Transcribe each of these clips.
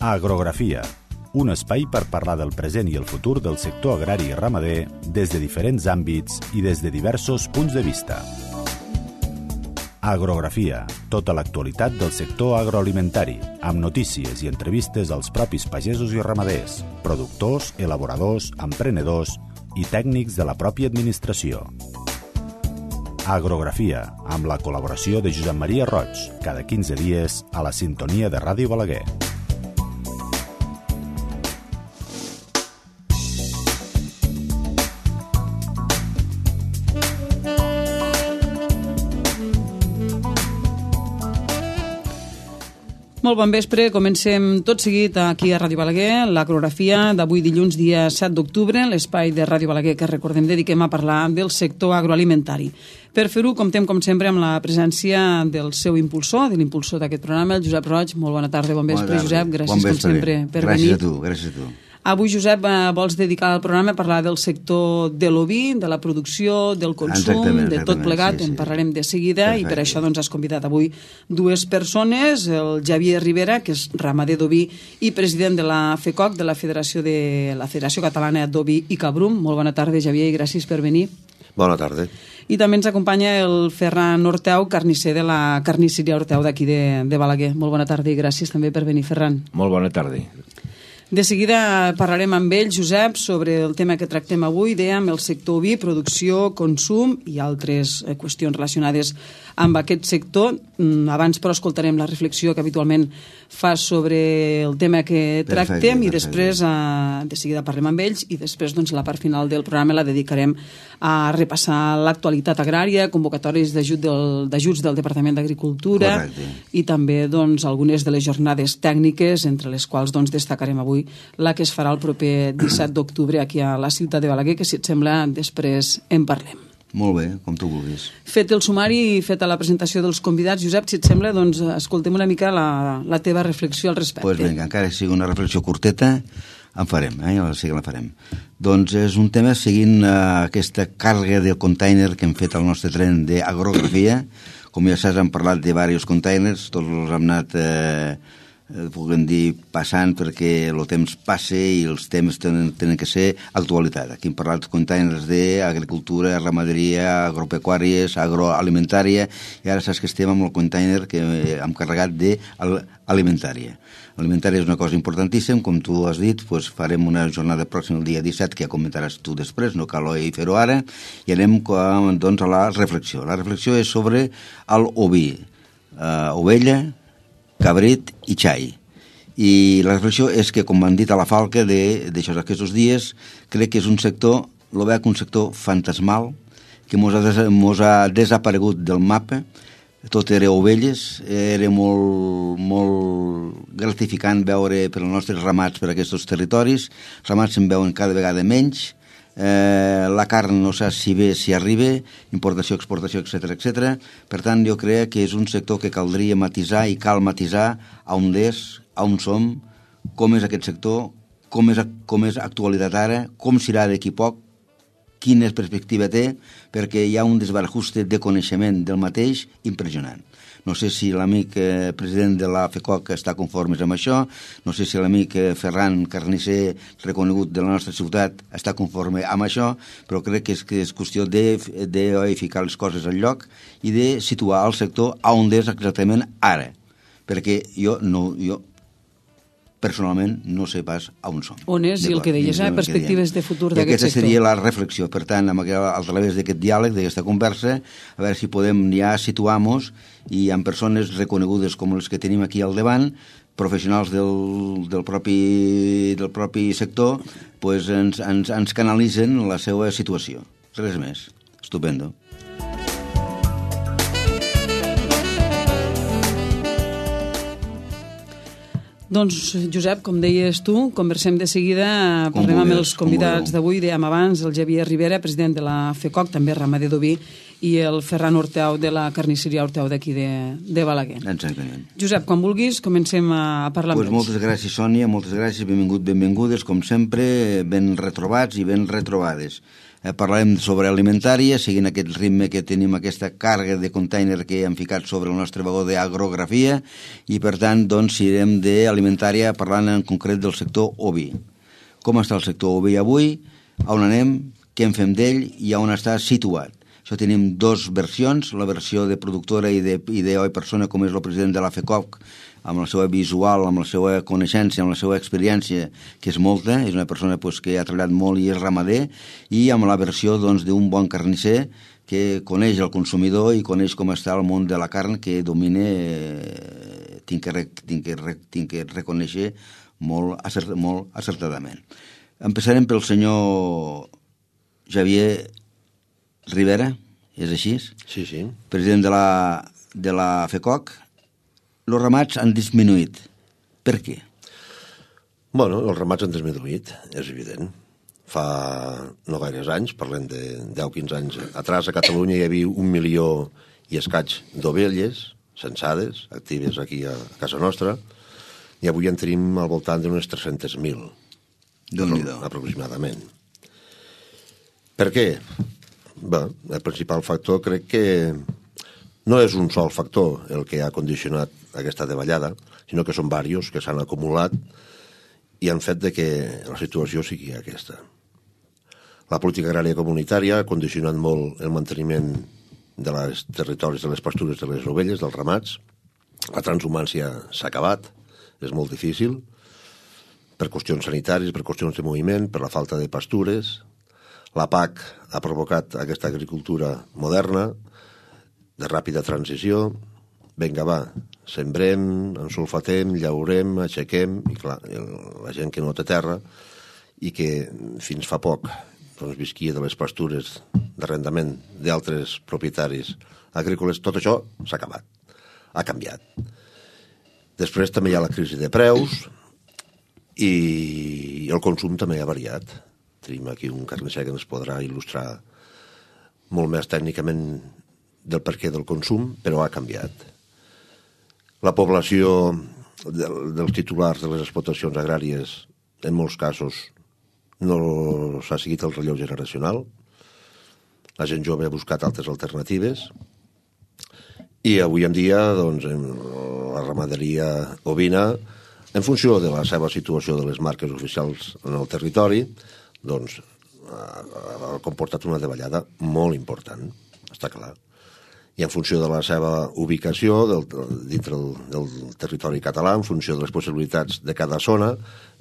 Agrografia, un espai per parlar del present i el futur del sector agrari i ramader des de diferents àmbits i des de diversos punts de vista. Agrografia, tota l'actualitat del sector agroalimentari, amb notícies i entrevistes als propis pagesos i ramaders, productors, elaboradors, emprenedors i tècnics de la pròpia administració. Agrografia, amb la col·laboració de Josep Maria Roig, cada 15 dies a la sintonia de Ràdio Balaguer. Molt bon vespre, comencem tot seguit aquí a Ràdio Balaguer, l'agrografia d'avui dilluns, dia 7 d'octubre, l'espai de Ràdio Balaguer que recordem dediquem a parlar del sector agroalimentari. Per fer-ho, comptem com sempre amb la presència del seu impulsor, de l'impulsor d'aquest programa, el Josep Roig. Molt bona tarda, bon vespre, Josep, gràcies com sempre per venir. Gràcies a tu. Avui, Josep, vols dedicar el programa a parlar del sector de l'oví, de la producció, del consum, de tot plegat, en parlarem de seguida. Perfecte. I per això has convidat avui dues persones, el Xavier Ribera, que és ramader d'oví i president de la FECOC, de la Federació Catalana d'Oví i Cabrum. Molt bona tarda, Xavier, i gràcies per venir. Bona tarda. I també ens acompanya el Ferran Orteu, carnisser de la carnisseria Orteu d'aquí de Balaguer. Molt bona tarda i gràcies també per venir, Ferran. Molt bona tarda. De seguida parlarem amb ell, Josep, sobre el tema que tractem avui, dèiem, el sector oví, producció, consum i altres qüestions relacionades amb aquest sector. Abans, però, escoltarem la reflexió que habitualment fa sobre el tema que tractem i després, de seguida, parlem amb ells i després, doncs, la part final del programa la dedicarem a repassar l'actualitat agrària, convocatòries d'ajuts del Departament d'Agricultura i també, doncs, algunes de les jornades tècniques, entre les quals, doncs, destacarem avui la que es farà el proper 17 d'octubre aquí a la ciutat de Balaguer, que, si et sembla, després en parlem. Molt bé, com tu vulguis. Fet el sumari i feta la presentació dels convidats, Josep, si et sembla, doncs escoltem una mica la teva reflexió al respecte. Doncs vinga, encara que sigui una reflexió curteta, en farem, sí que la farem. Doncs és un tema seguint aquesta càrrega de container que hem fet al nostre tren d'agrografia. Com ja saps, hem parlat de diversos containers, tots els hem anat puguem dir, passant perquè el temps passa i els temes tenen que ser actualitat. Aquí hem parlat de containers d'agricultura, ramaderia, agropecuàries, agroalimentària, i ara saps que estem amb el container que hem carregat d'alimentària. Alimentària és una cosa importantíssima, com tu has dit, doncs farem una jornada pròxima el dia 17, que ja comentaràs tu després, no cal fer-ho ara, i anem doncs, a la reflexió. La reflexió és sobre l'oví, ovella, cabrit i xai. I la reflexió és que, com han dit a la Falca d'aquests dies, crec que és un sector, lo veig un sector fantasmal, que mos ha desaparegut del mapa. Tot era ovelles, era molt gratificant veure per als nostres ramats per aquests territoris. Ramats se'n veuen cada vegada menys, la carn no saps si ve, si arriba, importació, exportació, etc. Per tant, jo crec que és un sector que caldria matisar i cal matisar on és, on som, com és aquest sector, com és actualitat ara, com serà d'aquí poc, quina perspectiva té, perquè hi ha un desbarajuste de coneixement del mateix impressionant. No sé si l'amic president de la FECOC està conforme amb això, no sé si l'amic Ferran Carnisser, reconegut de la nostra ciutat, està conforme amb això, però crec que és qüestió de ficar les coses al lloc i de situar el sector on és exactament ara, perquè jo personalment no sé pas on som. On és, i el que deies, perspectives de futur d'aquest sector. I aquesta seria la reflexió. Per tant, a través d'aquest diàleg, d'aquesta conversa, a veure si podem ja situar-nos i amb persones reconegudes com les que tenim aquí al davant, professionals del propi sector, pues ens canalitzen la seva situació. Res més. Estupendo. Doncs, Josep, com deies tu, conversem de seguida, parlem amb els convidats d'avui, dèiem abans, el Xavier Ribera, president de la FECOC, també ramader d'oví, i el Ferran Orteu de la carnisseria Orteu d'aquí de Balaguer. Exactament. Josep, quan vulguis, comencem a parlar amb ells. Moltes gràcies, Sònia, moltes gràcies, benvingudes, com sempre, ben retrobats i ben retrobades. Parlarem sobre alimentària, seguint aquest ritme que tenim, aquesta càrrega de container que hem ficat sobre el nostre vagó d'agrografia, i per tant, doncs, seguirem d'alimentària parlant en concret del sector oví. Com està el sector oví avui, on anem, què en fem d'ell i on està situat. Això tenim dues versions, la versió de productora i de persona, com és el president de la FECOC, amb la seva visual, amb la seva coneixença, amb la seva experiència, que és molta, és una persona que ha treballat molt i és ramader, i amb la versió d'un bon carnisser que coneix el consumidor i coneix com està el món de la carn, que domina, tinc que reconèixer molt acertadament. Empezarem pel senyor Javier Rivera, és així? Sí, sí. President de la FECOC. Els ramats han disminuït. Per què? Bueno, els ramats han disminuït, és evident. Fa no gaires anys, parlem de 10-15 anys atrás, a Catalunya hi havia 1 milió i escaig d'ovelles censades, actives aquí a casa nostra, i avui en tenim al voltant d'unes 300.000. Déu-n'hi-do. Aproximadament. Per què? Bé, el principal factor crec que no és un sol factor el que ha condicionat aquesta davallada, sinó que són diversos que s'han acumulat i han fet que la situació sigui aquesta. La política agrària comunitària ha condicionat molt el manteniment dels territoris de les pastures de les ovelles, dels ramats. La transhumància s'ha acabat, és molt difícil, per qüestions sanitàries, per qüestions de moviment, per la falta de pastures. La PAC ha provocat aquesta agricultura moderna, de ràpida transició. Vinga, va, sembrem, ensulfatem, llaurem, aixequem, i clar, la gent que no té terra i que fins fa poc doncs, visquia de les pastures d'arrendament d'altres propietaris agrícoles, tot això s'ha acabat, ha canviat. Després també hi ha la crisi de preus i el consum també ha variat. Tenim aquí un carnisser que ens podrà il·lustrar molt més tècnicament del perquè del consum, però ha canviat. La població dels titulars de les explotacions agràries, en molts casos, no s'ha seguit el relleu generacional. La gent jove ha buscat altres alternatives i avui en dia doncs, la ramaderia ovina, en funció de la seva situació de les marques oficials en el territori, doncs, ha comportat una davallada molt important, està clar. I en funció de la seva ubicació dintre del territori català, en funció de les possibilitats de cada zona,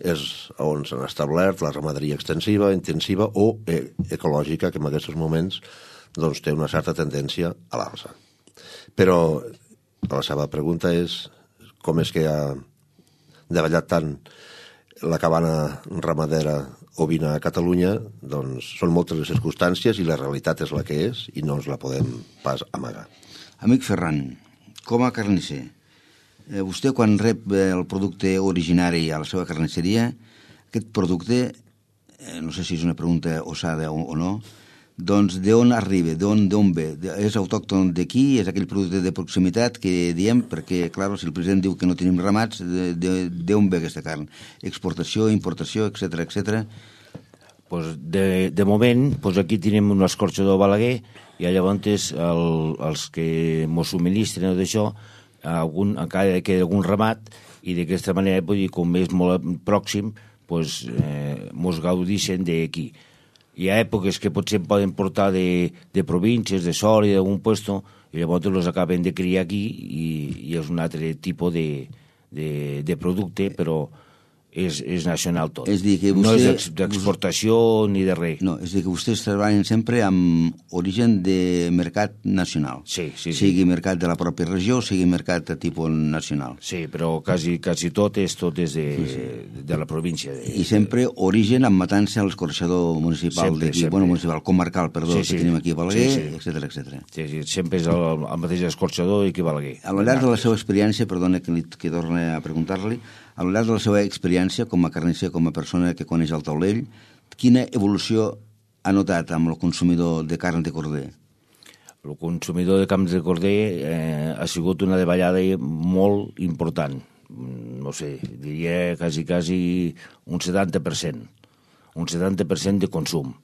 és on s'han establert la ramaderia extensiva, intensiva o ecològica, que en aquests moments doncs, té una certa tendència a l'alça. Però la seva pregunta és com és que ha davallat tant la cabana ramadera ovina a Catalunya. Doncs són moltes les circumstàncies i la realitat és la que és i no ens la podem pas amagar. Amic Ferran, com a carnisser, vostè quan rep el producte originari a la seva carnisseria, aquest producte, no sé si és una pregunta osada o no, doncs d'on arriba, d'on ve? És autòcton d'aquí? És aquell producte de proximitat que diem? Perquè, clar, si el president diu que no tenim ramats, d'on ve aquesta carn? Exportació, importació, etc. Pues de moment, pues aquí tenim un escorxador Balaguer i llavors els que mos subministren d'això, encara queda algun ramat i d'aquesta manera, com és molt pròxim, pues, mos gaudixen d'aquí. Hi ha èpoques que potser poden portar de províncies, de Sòria, d'algun puesto, i llavors els acaben de criar aquí i és un altre tipus de producte, però és nacional tot. És dir, que vostè, no és d'exportació ni de res. No, és dir, que vostès treballen sempre amb origen de mercat nacional. Sí. Sigui mercat de la pròpia regió, sigui mercat de tipus nacional. Sí, però quasi tot és de la província. I sempre origen amb matança a l'escorxador municipal d'aquí, municipal, comarcal, perdó, que tenim aquí a Balaguer, etc. Sí, sempre és el mateix escorxador i aquí a Balaguer. A lo llarg de la seva experiència, perdona que torni a preguntar-li, a lo llarg de la seva experiència com a carnisser, com a persona que coneix el taulell, quina evolució ha notat amb el consumidor de carn de corder? El consumidor de carn de corder ha sigut una davallada molt important. No sé, diria quasi un 70%. Un 70% de consum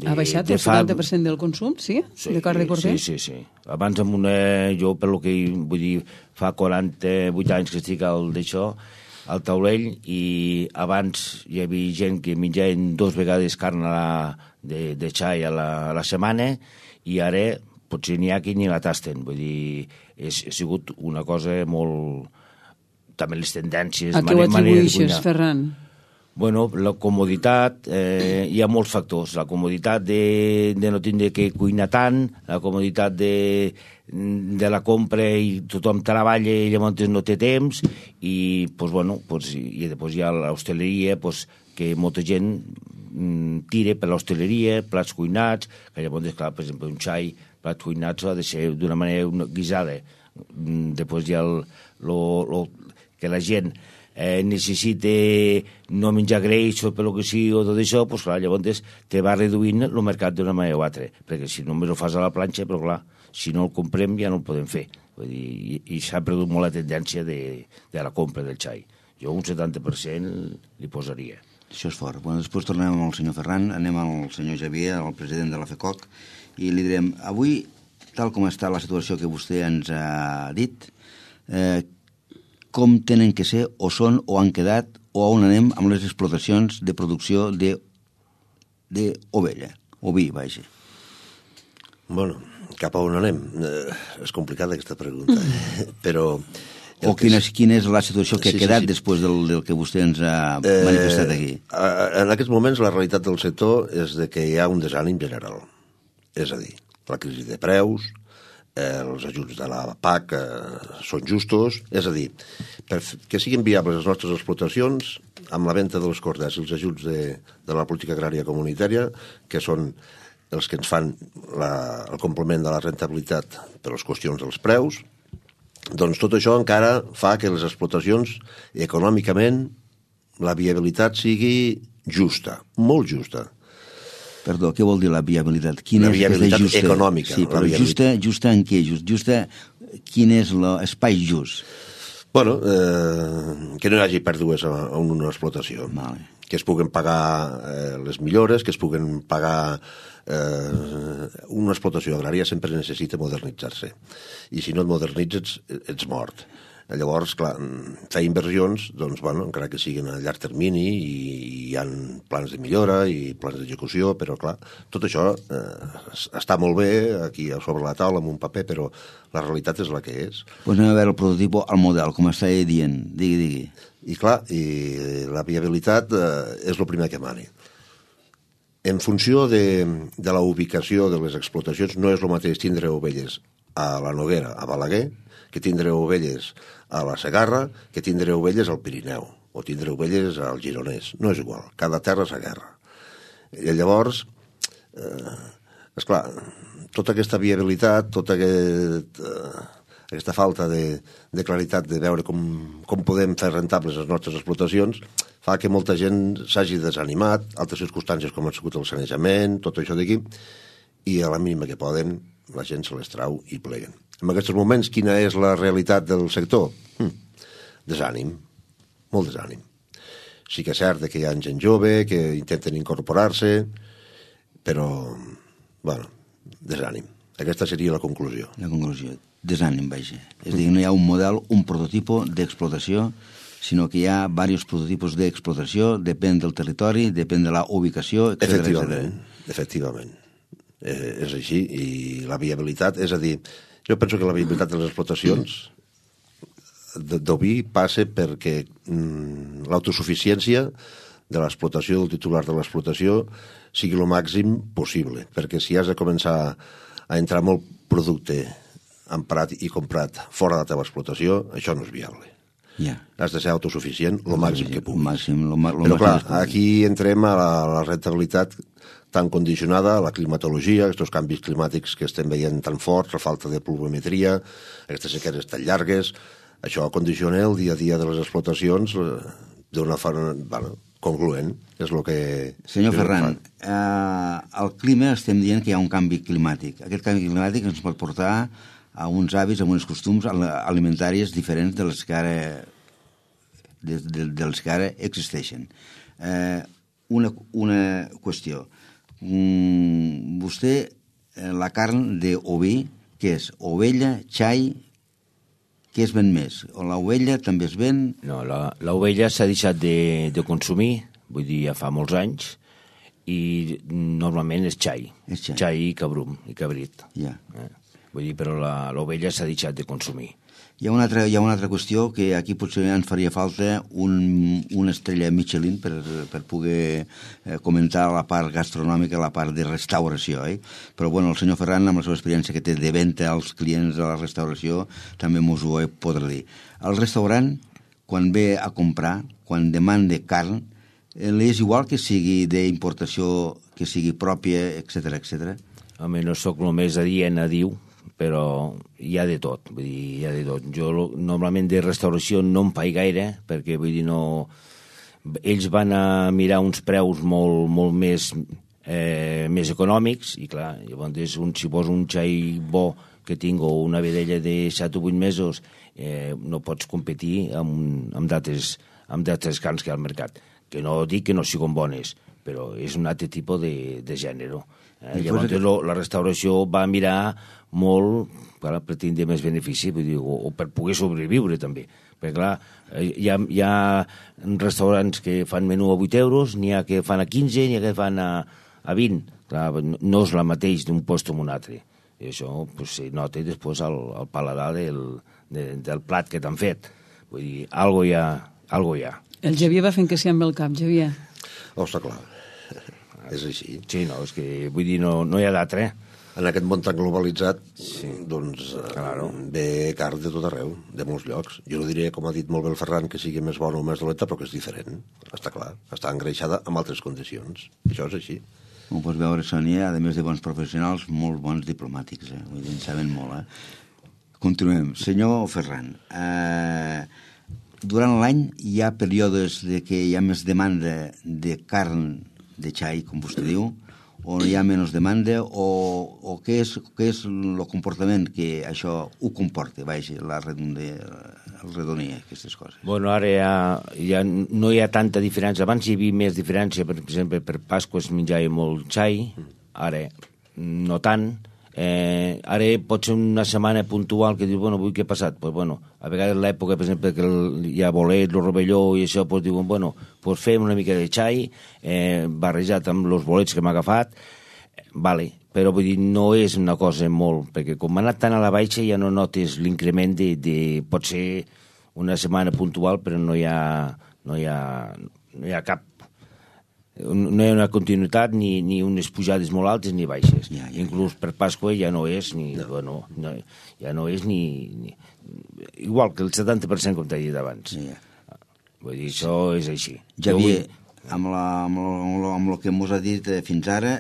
Ha baixat el 70% del consum, sí? Sí, de carn de corder? Sí. Abans, jo, per lo que vull dir, fa 48 anys que estic d'això, al taulell, i abans hi havia gent que menjaven 2 vegades carn de xai a la setmana, i ara potser n'hi ha qui ni la tasten. Vull dir, ha sigut una cosa molt... També les tendències... A què ho atribueixes, Ferran? Bueno, la comoditat, hi ha molts factors. La comoditat de no tindre que cuinar tant, la comoditat de la compra i tothom treballa i llavors no té temps, i després hi ha l'hostaleria, que molta gent tira per l'hostaleria, plats cuinats, que llavors, clar, per exemple, un xai, plats cuinats ha de ser d'una manera guisada. Després hi ha que la gent necessita no menjar greix o per lo que sigui o tot això, doncs clar, llavors te va reduint el mercat d'una manera o altra, perquè si només ho fas a la planxa, però clar, si no el comprem ja no el podem fer. Vull dir, i s'ha perdut molt la tendència de la compra del xai. Jo un 70% li posaria. Això és fort. Bueno, després tornem amb el senyor Ferran, anem al senyor Javier, el president de la FECOC, i li direm, avui, tal com està la situació que vostè ens ha dit, com tenen que ser, o són, o han quedat, o on anem amb les explotacions de producció d'ovella, oví, vaja. Bueno, cap a on anem? És complicada aquesta pregunta, però... O quina és la situació que ha quedat després del que vostè ens ha manifestat aquí? En aquests moments la realitat del sector és de que hi ha un desànim general. És a dir, la crisi de preus, els ajuts de la PAC són justos, és a dir, que siguin viables les nostres explotacions amb la venda dels corders i els ajuts de la política agrària comunitària, que són els que ens fan el complement de la rentabilitat per les qüestions dels preus, doncs tot això encara fa que les explotacions econòmicament la viabilitat sigui justa, molt justa. Perdó, què vol dir la viabilitat? La viabilitat econòmica. Sí, però justa en què? Justa, quin és l'espai just? Bueno, que no hi hagi pèrdues en una explotació. Vale. Que es puguen pagar les millores, que es puguen pagar... una explotació agrària sempre necessita modernitzar-se. I si no et modernitzes, ets mort. Llavors, clar, fer inversions, doncs, bueno, encara que siguin a llarg termini, i hi ha plans de millora i plans d'execució, però, clar, tot això està molt bé aquí sobre la taula amb un paper, però la realitat és la que és. Doncs anem a veure el prototip, el model, com està dient. Digui. I, clar, la viabilitat és el primer que mani. En funció de la ubicació de les explotacions, no és el mateix tindre ovelles a la Noguera, a Balaguer, que tindre ovelles a la Segarra, que tindre ovelles al Pirineu, o tindre ovelles al Gironès. No és igual, cada terra és a guerra. I llavors, esclar, tota aquesta viabilitat, tota aquesta falta de claritat de veure com podem fer rentables les nostres explotacions fa que molta gent s'hagi desanimat, altres circumstàncies com ha sigut el sanejament, tot això d'aquí, i a la mínima que poden la gent se les trau i pleguen. En aquests moments, quina és la realitat del sector? Desànim, molt desànim. Sí que és cert que hi ha gent jove que intenten incorporar-se, però, bueno, desànim. Aquesta seria la conclusió. La conclusió, desànim, vaja. És a dir, no hi ha un model, un prototipo d'explotació, sinó que hi ha diversos prototipos d'explotació, depèn del territori, depèn de la ubicació, etc. Efectivament. És així, i la viabilitat, és a dir, jo penso que la viabilitat de les explotacions d'oví passa perquè l'autosuficiència de l'explotació, del titular de l'explotació, sigui el màxim possible, perquè si has de començar a entrar molt producte emprat i comprat fora de la teva explotació, això no és viable. Has de ser autosuficient el màxim que puguis. Però clar, aquí entrem a la rentabilitat tan condicionada, a la climatologia, aquests canvis climàtics que estem veient tan forts, la falta de pluviometria, aquestes sequeres tan llargues, això condiciona el dia a dia de les explotacions d'una forma concloent. És el que... Senyor Ferran, al clima estem dient que hi ha un canvi climàtic. Aquest canvi climàtic ens pot portar a uns hàbits, a uns costums alimentàries diferents dels que ara existeixen. Una qüestió. vostè, la carn d'oví, què és? Ovella, xai, què es ven més? O l'ovella també es ven? No, l'ovella s'ha deixat de consumir, vull dir, ja fa molts anys, i normalment és xai. És xai. Xai i cabrum, i cabrit. Ja. Vull dir, però l'ovella s'ha deixat de consumir. Hi ha una altra qüestió que aquí potser ens faria falta una estrella Michelin per poder comentar la part gastronòmica, la part de restauració. Però bueno, el senyor Ferran, amb la seva experiència que té de venda als clients de la restauració, també mos ho podrà dir. El restaurant, quan ve a comprar, quan demanda carn, li és igual que sigui d'importació, que sigui pròpia, etc. Home, no sóc el més adient a dir, però hi ha de tot, vull dir, hi ha de tot. Jo normalment de restauració no em faig gaire, perquè vull dir, no... Ells van a mirar uns preus molt més econòmics, i clar, llavors si vols un xai bo que tinc o una vedella de 7 o 8 mesos, no pots competir amb d'altres carns que hi ha al mercat. Que no dic que no siguin bones, però és un altre tipus de gènere. Llavors la restauració va mirar molt per tindre més benefici, vull dir, o per poder sobreviure també, perquè clar, hi ha restaurants que fan menú a 8 euros, n'hi ha que fan a 15, n'hi ha que fan a 20, clar, no és la mateix d'un lloc amb un altre, i això pues, se nota després al paladar del plat que t'han fet, vull dir, algo hi ha. El Javier va fent que sí amb el cap, Javier. Està clar, és així. Sí, no, és que vull dir, no hi ha d'altre, En aquest món tan globalitzat, doncs, ve carn de tot arreu, de molts llocs. Jo no diré, com ha dit molt bé el Ferran, que sigui més bona o més dolenta, però que és diferent. Està clar, està engreixada amb altres condicions. Això és així. Com pots veure, Sònia, a més de bons professionals, molt bons diplomàtics. Vull dir, en saben molt. Continuem. Senyor Ferran, durant l'any hi ha períodes de que hi ha més demanda de carn de xai, com vostè diu, o hi ha menys demanda, o què és el comportament que això ho comporta, el redonia, aquestes coses? Bueno, ara ja no hi ha tanta diferència. Abans hi havia més diferència, per exemple, per Pasqua es menjava molt xai, ara no tant. Ara pot ser una setmana puntual que dius, bueno, avui què ha passat? Pues bueno, a vegades l'època, per exemple, que hi ha bolet, el rovelló i això, pues diuen, bueno, pues fem una mica de xai, barrejat amb els bolets que m'ha agafat, vale, però vull dir, no és una cosa molt, perquè com ha anat tant a la baixa ja no notes l'increment de pot ser una setmana puntual, però no hi ha cap, no hi ha una continuïtat ni unes pujades molt altes ni baixes. Inclús per Pasqua ja no és ni... No. Bueno, ja no és ni... Igual que el 70%, com t'he dit abans. Vull dir, això és així. Javier, amb el que ens ha dit fins ara,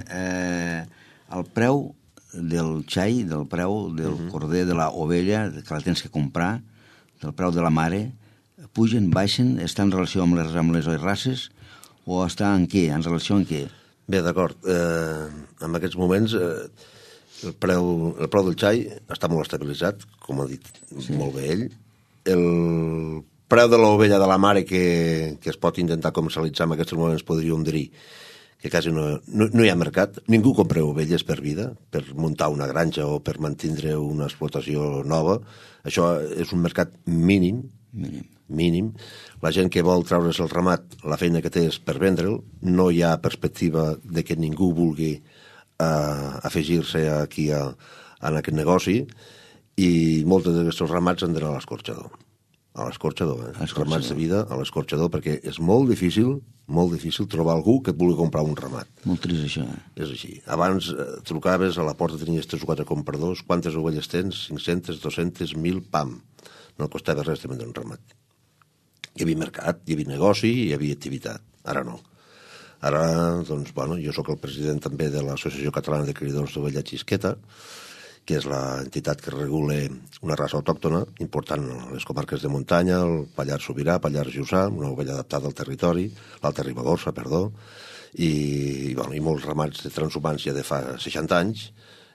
el preu del xai, del preu del corder, de l'ovella, que la tens que comprar, del preu de la mare, pugen, baixen, està en relació amb les races, o està en què? En relació amb què? Bé, d'acord. En aquests moments el preu del xai està molt estabilitzat, com ha dit molt bé ell. El preu de l'ovella de la mare que es pot intentar comercialitzar en aquests moments podríem dir que quasi no hi ha mercat. Ningú compra ovelles per vida, per muntar una granja o per mantindre una explotació nova. Això és un mercat mínim. La gent que vol treure's el ramat, la feina que té és per vendre'l, no hi ha perspectiva de que ningú vulgui afegir-se aquí en aquest negoci, i molts d'aquests ramats han d'anar a l'escorxador. A l'escorxador, els ramats de vida a l'escorxador, perquè és molt difícil trobar algú que et vulgui comprar un ramat. Molt trist, això. És així. Abans trucaves, a la porta tenies 3 o 4 compradors, quantes ovelles tens? 500, 200, 1.000, pam. No costava res de vendre un ramat. Hi havia mercat, hi havia negoci, hi havia activitat. Ara no. Ara, doncs, bueno, jo sóc el president també de l'Associació Catalana de Criadors d'Ovella Xisqueta, que és l'entitat que regula una raça autòctona important a les comarques de muntanya, el Pallars Sobirà, Pallars Jussà, una ovella adaptada al territori, l'Alta Ribagorça, i molts ramats de transhumants ja de fa 60 anys,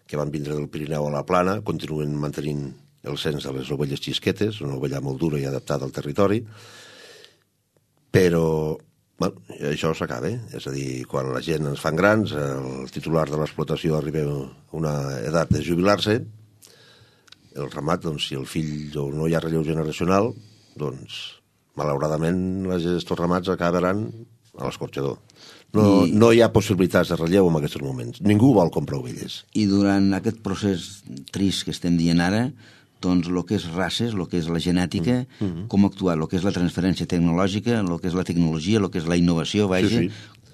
que van vindre del Pirineu a la Plana, continuen mantenint el cens de les ovelles xisquetes, una ovella molt dura i adaptada al territori, però Bueno, això s'acaba, és a dir, quan la gent ens fan grans, el titular de l'explotació arriba a una edat de jubilar-se, el ramat, doncs, si el fill o no hi ha relleu generacional, doncs, malauradament, estos ramats acabaran a l'escorxador. No hi ha possibilitats de relleu en aquests moments. Ningú vol comprar ovelles. I durant aquest procés trist que estem dient ara, doncs el que és races, el que és la genètica, com actuar, el que és la transferència tecnològica, el que és la tecnologia, el que és la innovació, vaja,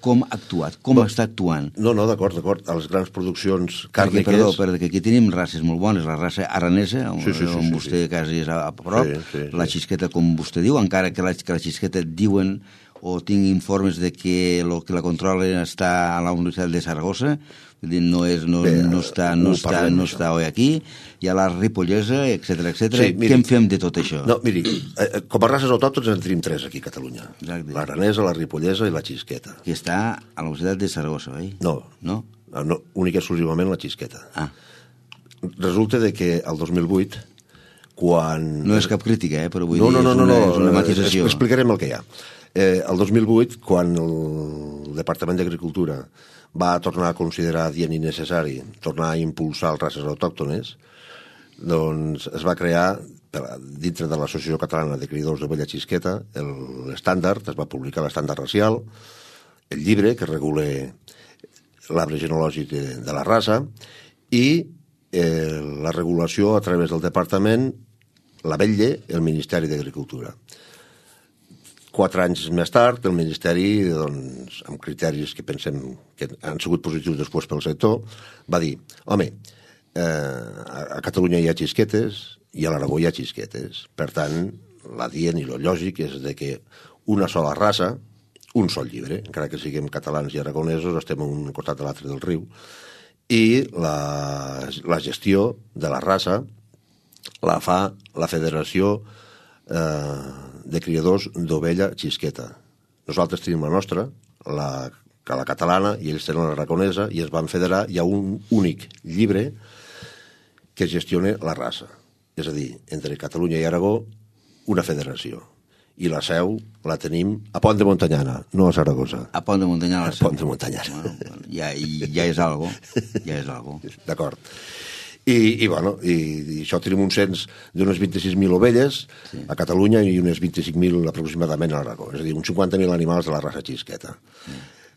com ha actuat, com està actuant. No, d'acord. A les grans produccions càrniques... Perquè aquí tenim races molt bones, la raça aranesa, on vostè quasi és a prop, la xisqueta, com vostè diu, encara que la xisqueta diuen o tinc informes de que el que la controla està a la Universitat de Saragossa, no està avui aquí, hi ha la ripollesa, etc. Sí, què en fem de tot això? No, miri, com a races autòctones en tenim 3 aquí a Catalunya. L'aranesa, la ripollesa i la xisqueta. Que està a la Universitat de Saragossa, oi? No, única i exclusivament la xisqueta. Resulta que el 2008, quan... No és cap crítica, però vull dir, és una matisació. Explicarem el que hi ha. El 2008, quan el Departament d'Agricultura va tornar a considerar adient i necessari tornar a impulsar les races autòctones, doncs es va crear, dintre de l'Associació Catalana de Criadors d'Ovella Xisqueta, l'estàndard, es va publicar l'estàndard racial, el llibre que regula l'arbre genològic de la raça, i la regulació a través del Departament la vetlla el Ministeri d'Agricultura. 4 anys més tard, el Ministeri, doncs, amb criteris que pensem que han sigut positius després pel sector, va dir, home, a Catalunya hi ha xisquetes i a l'Aragó hi ha xisquetes. Per tant, l'adient i el lògic és de que una sola raça, un sol llibre, encara que siguem catalans i aragonesos, estem a un costat de l'altre del riu, i la gestió de la raça la fa la Federació de Criadors d'Ovella Xisqueta. Nosaltres tenim la nostra, la catalana, i ells tenen l'aragonesa, i es van federar. Hi ha un únic llibre que gestiona la raça. És a dir, entre Catalunya i Aragó, una federació. I la seu la tenim a Pont de Montanyana, no a Saragossa. A Pont de Montanyana la seu. A Pont de Montanyana. Bueno, ja és algo. Ja és algo. D'acord. I això tenim un cens d'unes 26.000 ovelles a Catalunya i unes 25.000 aproximadament a l'Aragó, és a dir, uns 50.000 animals de la raça xisqueta.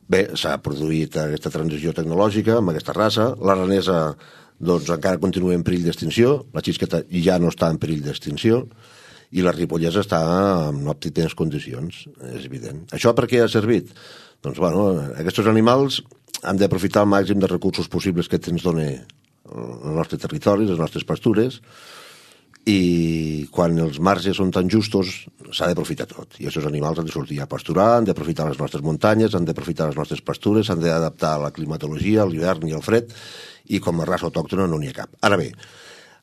Bé, s'ha produït aquesta transició tecnològica amb aquesta raça. L'aranesa, doncs, encara continua en perill d'extinció, la xisqueta ja no està en perill d'extinció, i la ripollesa està en òptimes condicions, és evident. Això per què ha servit? Doncs, aquests animals han d'aprofitar el màxim de recursos possibles que ens dona el nostre territori, les nostres pastures, i quan els marges són tan justos s'ha d'aprofitar tot, i aquests animals han de sortir a pasturar, han d'aprofitar les nostres muntanyes, han d'aprofitar les nostres pastures, s'han d'adaptar a la climatologia, a l'hivern i al fred, i com a raça autòctona no n'hi ha cap. Ara bé,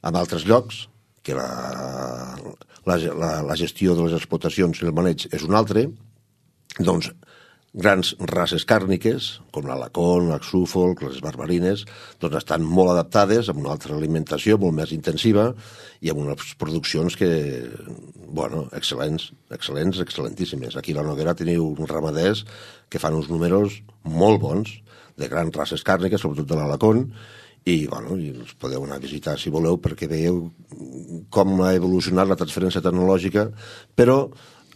en altres llocs que la gestió de les explotacions i el maneig és un altre, doncs grans races càrniques, com l'alacón, l'Suffolk, les barbarines, doncs estan molt adaptades amb una altra alimentació molt més intensiva i amb unes produccions que, excel·lentíssimes. Aquí a la Noguera teniu uns ramaders que fan uns números molt bons de grans races càrniques, sobretot de l'alacón, i els podeu anar a visitar si voleu perquè veieu com ha evolucionat la transferència tecnològica, però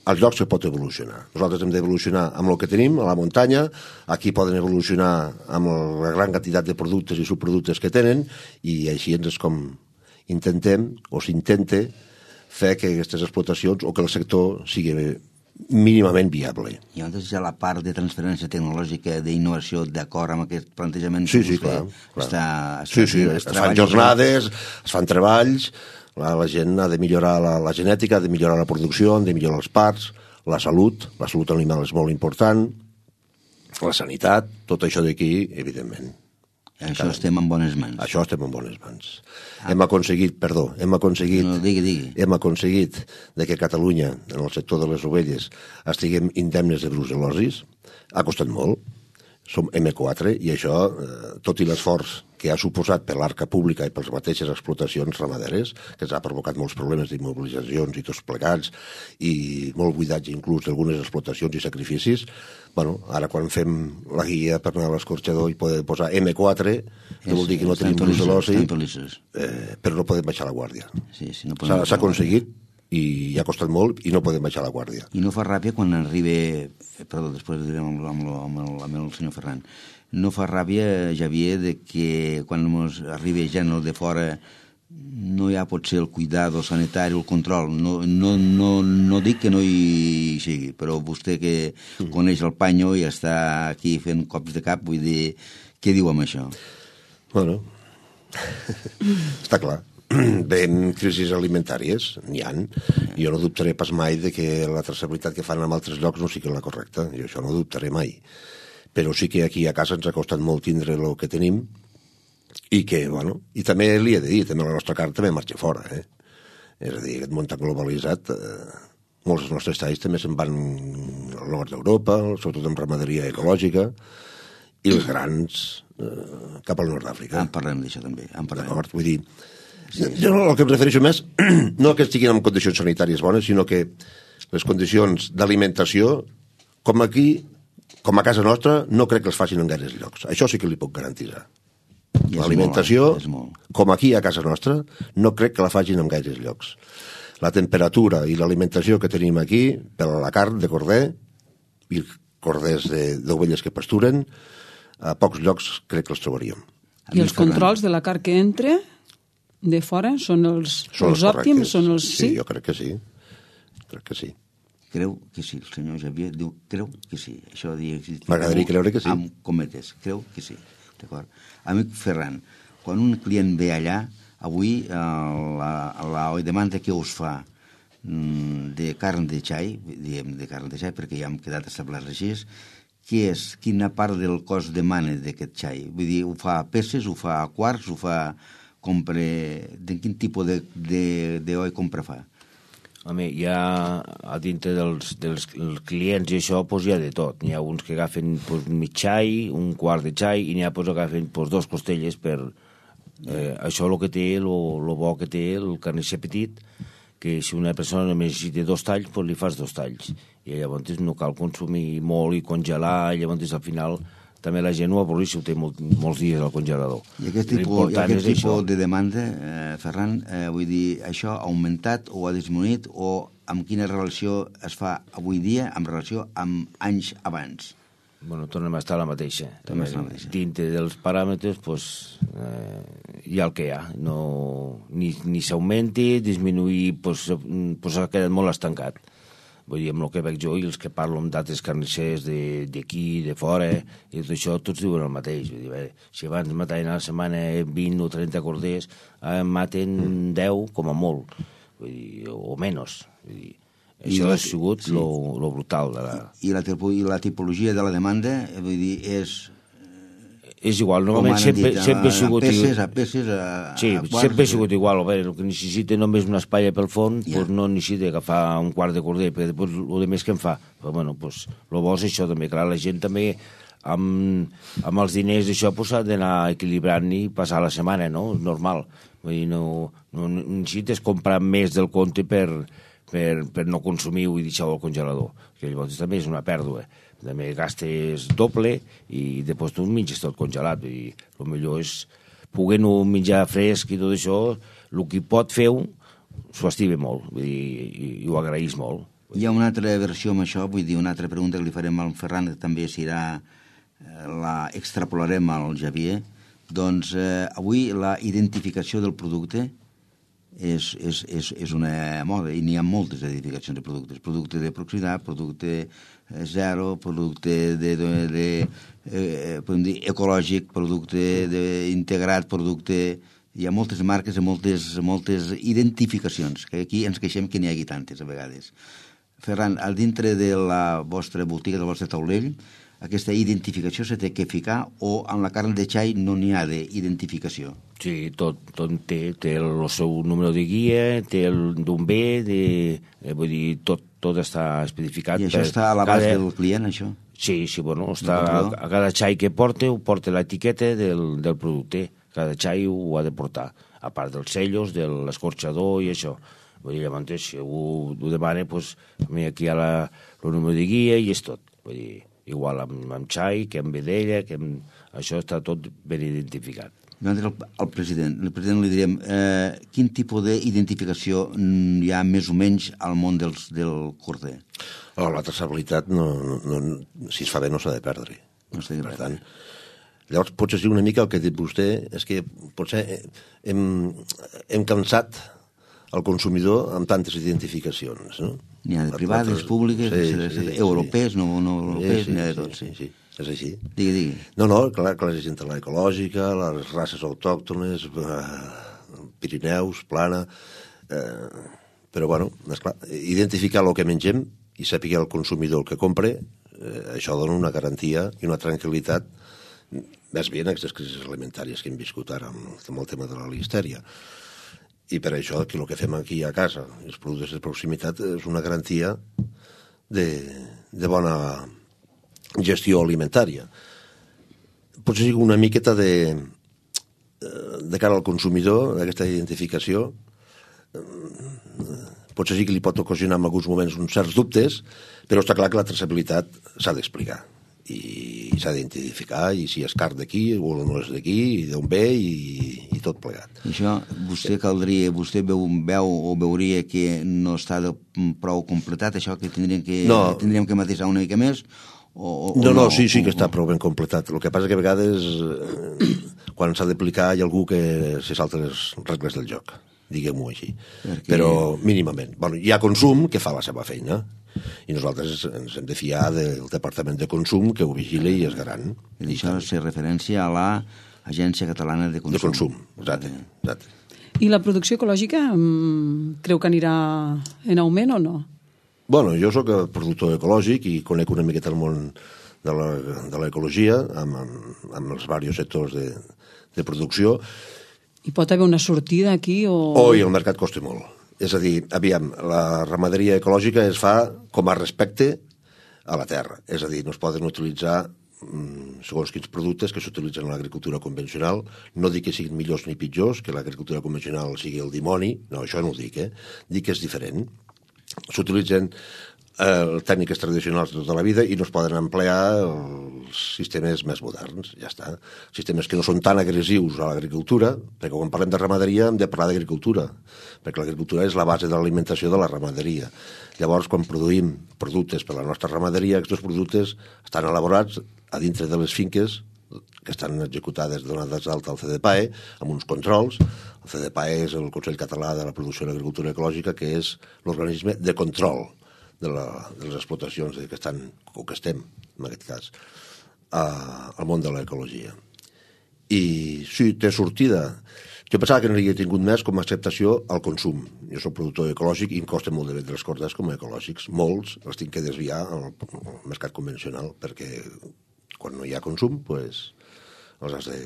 als llocs se pot evolucionar. Nosaltres hem d'evolucionar amb el que tenim, a la muntanya, aquí poden evolucionar amb la gran quantitat de productes i subproductes que tenen, i així és com intentem, o s'intenta, fer que aquestes explotacions, o que el sector sigui mínimament viable. I llavors hi ha la part de transferència tecnològica, d'innovació, d'acord amb aquest plantejament? Sí, clar. Es fan jornades, es fan treballs. La gent ha de millorar la genètica, ha de millorar la producció, han de millorar els parts, la salut animal és molt important, la sanitat, tot això d'aquí, evidentment. I això estem en bones mans. Això estem en bones mans. Hem aconseguit de que Catalunya, en el sector de les ovelles, estiguem indemnes de brucel·losis. Ha costat molt. som M4 i això, tot i l'esforç que ha suposat per l'arca pública i per les mateixes explotacions ramaderes, que ens ha provocat molts problemes d'immobilitzacions i tots plegats, i molt buidatge inclús d'algunes explotacions i sacrificis, bueno, ara quan fem la guia per anar a l'escorxador i poder posar M4, que vol dir que no tenim l'ús de l'oci, però no podem baixar la guàrdia. S'ha aconseguit, i ha costat molt i no podem baixar la guàrdia. I no fa ràbia quan arriba, perdó, després direm amb el senyor Ferran, no fa ràbia, Javier, de que quan arriba gent de fora no hi ha potser el cuidado sanitari o el control. No dic que no hi sigui, però vostè que coneix el panyo i està aquí fent cops de cap, vull dir, què diu amb això? Bueno, està clar. Bé, crisis alimentàries, n'hi ha. Jo no dubtaré pas mai de que la traçabilitat que fan en altres llocs no sigui la correcta. Jo això no dubtaré mai. Però sí que aquí a casa ens ha costat molt tindre el que tenim i que, bueno, i també li he de dir, també la nostra carn també marxa fora, És a dir, aquest món tan globalitzat, molts dels nostres talls també se'n van al nord d'Europa, sobretot en ramaderia ecològica, i els grans cap al nord d'Àfrica. En parlem d'això també, D'acord, vull dir, jo el que em refereixo més, no que estiguin en condicions sanitàries bones, sinó que les condicions d'alimentació, com aquí, com a casa nostra, no crec que els facin en gaires llocs. Això sí que li puc garantir. L'alimentació, com aquí a casa nostra, no crec que la facin en gaires llocs. La temperatura i l'alimentació que tenim aquí, per a la carn de corder i corders d'ovelles que pasturen, a pocs llocs crec que els trobaríem. I els controls de la carn que entra de fora són els òptims? Sí, jo crec que sí. Crec que sí. Creu que sí, el senyor Javier diu creu que sí. M'agradaria creure que sí. Amb cometes, creu que sí. D'acord. Amic Ferran, quan un client ve allà, avui la demanda que us fa de carn de xai, diem de carn de xai perquè ja hem quedat establerts així, quina part del cost demana d'aquest xai? Vull dir, ho fa a peces, ho fa a quarts, ho fa... de quin tipus d'oi compra fa? Home, hi ha a dintre dels clients i això hi ha de tot. N'hi ha uns que agafen mig xai, un quart de xai, i n'hi ha que agafen 2 costelles per... Això el que té, el bo que té el carnisser petit, que si una persona només necessita 2 talls, li fas 2 talls. I llavors no cal consumir molt i congelar, i llavors al final... també la gent ho avorreix si ho té molts dies al congelador. I aquest tipus de demanda, Ferran, vull dir, això ha augmentat o ha disminuït o amb quina relació es fa avui dia en relació amb anys abans? Bueno, tornem a estar la mateixa. Dintre dels paràmetres, hi ha el que hi ha. Ni s'augmenti, disminuir, ha quedat molt estancat. Vull dir, amb el que veig jo i els que parlo amb d'altres carnissers d'aquí, de fora, i tot això, tots diuen el mateix. Vull dir, si abans mataven a la setmana 20 o 30 corders, ara maten 10 com a molt, vull dir, o menys. Vull dir, això ha sigut lo brutal. I la tipologia de la demanda, vull dir, és igual, normalment sempre ha sigut... A peces, sí, sempre ha sigut igual. El que necessita només una espatlla pel fons, no necessita agafar un quart de corder, perquè després el més que en fa. Però, bueno, el bo és això també. Clar, la gent també, amb els diners d'això, s'ha d'anar equilibrant i passar la setmana, no? És normal. Vull dir, no necessites comprar més del compte per no consumir-ho i deixar-ho al congelador. Que llavors també és una pèrdua. També gastes doble i després tu menges tot congelat. El millor és poder-ho menjar fresc i tot això, el que pot fer-ho s'ho estima molt i ho agraeix molt. Hi ha una altra versió amb això, vull dir, una altra pregunta que li farem al Ferran, que també la extrapolarem al Javier. Doncs avui la identificació del producte és una moda i n'hi ha moltes identificacions de productes. Producte de proximitat, producte zero, producte ecològic, producte integrat, producte... Hi ha moltes marques i moltes identificacions, que aquí ens queixem que n'hi hagi tantes a vegades. Ferran, al dintre de la vostra botiga, del vostre taulell, aquesta identificació s'ha de ficar o amb la carn de xai no n'hi ha d'identificació? Sí, tot té el seu número de guia, té d'on ve, vull dir, tot està especificat. I això està a l'abast del client, això? Sí, bueno, a cada xai que porta, ho porta l'etiqueta del producte. Cada xai ho ha de portar, a part dels sellos, de l'escorxador i això. Vull dir, llavors, si algú ho demana, doncs, aquí hi ha el número de guia i és tot. Vull dir, igual amb xai, que amb vedella, això està tot ben identificat. El president li direm quin tipus d'identificació hi ha més o menys al món del corder? La traçabilitat, si es fa bé, no s'ha de perdre. Per tant, llavors, potser sí una mica el que ha dit vostè és que potser hem cansat el consumidor amb tantes identificacions, no? N'hi ha de privades, públiques, europees, no europees, n'hi ha de tot. Sí, és així. Digui. No, clar que l'exigent la ecològica, les races autòctones, Pirineus, plana... Però, bueno, esclar, identificar el que mengem i saber el consumidor el que compre, això dona una garantia i una tranquil·litat més bé en aquestes crisis alimentàries que hem viscut ara amb el tema de la listèria. I per això que el que fem aquí a casa, els productes de proximitat, és una garantia de bona gestió alimentària. Potser sigui una miqueta de cara al consumidor, d'aquesta identificació, potser sí que li pot ocasionar en alguns moments uns certs dubtes, però està clar que la traçabilitat s'ha d'explicar i s'ha d'identificar, i si és car d'aquí o no és d'aquí, i d'on ve i tot plegat. Això vostè veu o veuria que no està prou completat, això que tindríem que matisar una mica més? No, sí que està prou ben completat. El que passa que a vegades quan s'ha d'aplicar hi ha algú que se salta les regles del joc, diguem-ho així. Però mínimament. Hi ha consum que fa la seva feina i nosaltres ens hem de fiar del Departament de Consum que ho vigila i és garant. I això és referència a l'Agència Catalana de Consum. De Consum, exacte. I la producció ecològica creu que anirà en augment o no? Bueno, jo sóc productor ecològic i conec una miqueta el món de l'ecologia amb els diversos sectors de producció. I pot haver una sortida aquí o... I el mercat costa molt. És a dir, aviam, la ramaderia ecològica es fa com a respecte a la terra. És a dir, no es poden utilitzar segons quins productes que s'utilitzen en l'agricultura convencional. No dic que siguin millors ni pitjors, que l'agricultura convencional sigui el dimoni. No, això no ho dic, Dic que és diferent. S'utilitzen tècniques tradicionals de tota la vida i no es poden emplear els sistemes més moderns, ja està. Sistemes que no són tan agressius a l'agricultura, perquè quan parlem de ramaderia hem de parlar d'agricultura, perquè l'agricultura és la base de l'alimentació de la ramaderia. Llavors, quan produïm productes per a la nostra ramaderia, aquests productes estan elaborats a dintre de les finques que estan executades, donades d'alta al CDPAE, amb uns controls. El CDPAE és el Consell Català de la Producció i l'Agricultura Ecològica, que és l'organisme de control de les explotacions que estan, o que estem, en aquest cas, al món de l'ecologia. I sí, té sortida. Jo pensava que no hi havia tingut més com a acceptació al consum. Jo soc productor ecològic i em costa molt de vendre els corders com a ecològics. Molts els tinc que desviar al mercat convencional, perquè quan no hi ha consum, doncs els has de...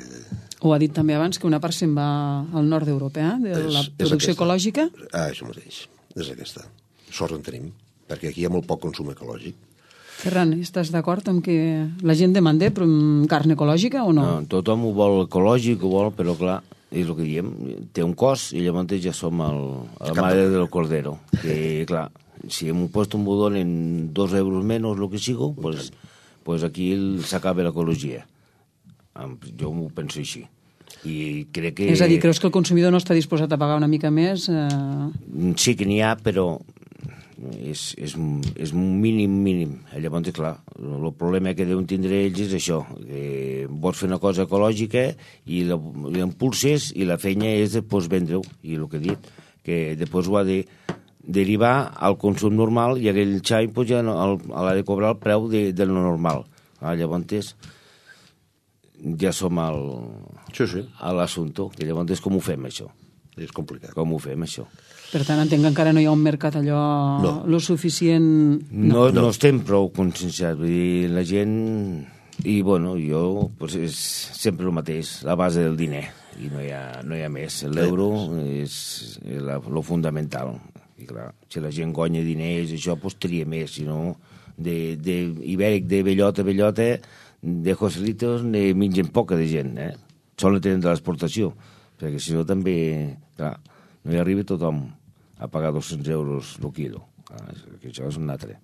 Ho ha dit també abans, que una part se'n va al nord d'Europa, de la producció ecològica. Això mateix, és aquesta. Sort en tenim, perquè aquí hi ha molt poc consum ecològic. Ferran, estàs d'acord amb que la gent demanda carn ecològica o no? No, tothom ho vol ecològic, ho vol, però clar, és el que diem, té un cost i llavors ja som a la mare del cordero. Que clar, si hem post un budón en 2 euros menys, el que sigo, pues aquí s'acaba l'ecologia. Jo m'ho penso així. I crec que... És a dir, creus que el consumidor no està disposat a pagar una mica més? Sí que n'hi ha, però és un mínim. Llavors, clar, el problema que deuen tindre ells és això, que vols fer una cosa ecològica i l'impulses i la feina és després vendre-ho. I el que he dit, que després ho ha de derivar al consum normal i aquell xai ja l'ha de cobrar el preu del normal. Llavors ja som a l'assumpte, que llavors com ho fem, això? És complicat. Com ho fem, això? Per tant, entenc que encara no hi ha un mercat allò lo suficient... No estem prou conscienciats. Vull dir, la gent... I, bueno, jo, pues, és sempre el mateix, la base del diner. I no hi ha més. L'euro és lo fundamental. I clar, si la gent guanya diners, això, doncs tria més, si no, ibèric de bellota a bellota, de Joselitos, ne mengen poca de gent, Solen tenen de l'exportació, perquè si no també, clar, no hi arriba tothom a pagar 200 euros el quilo. Això és un altre.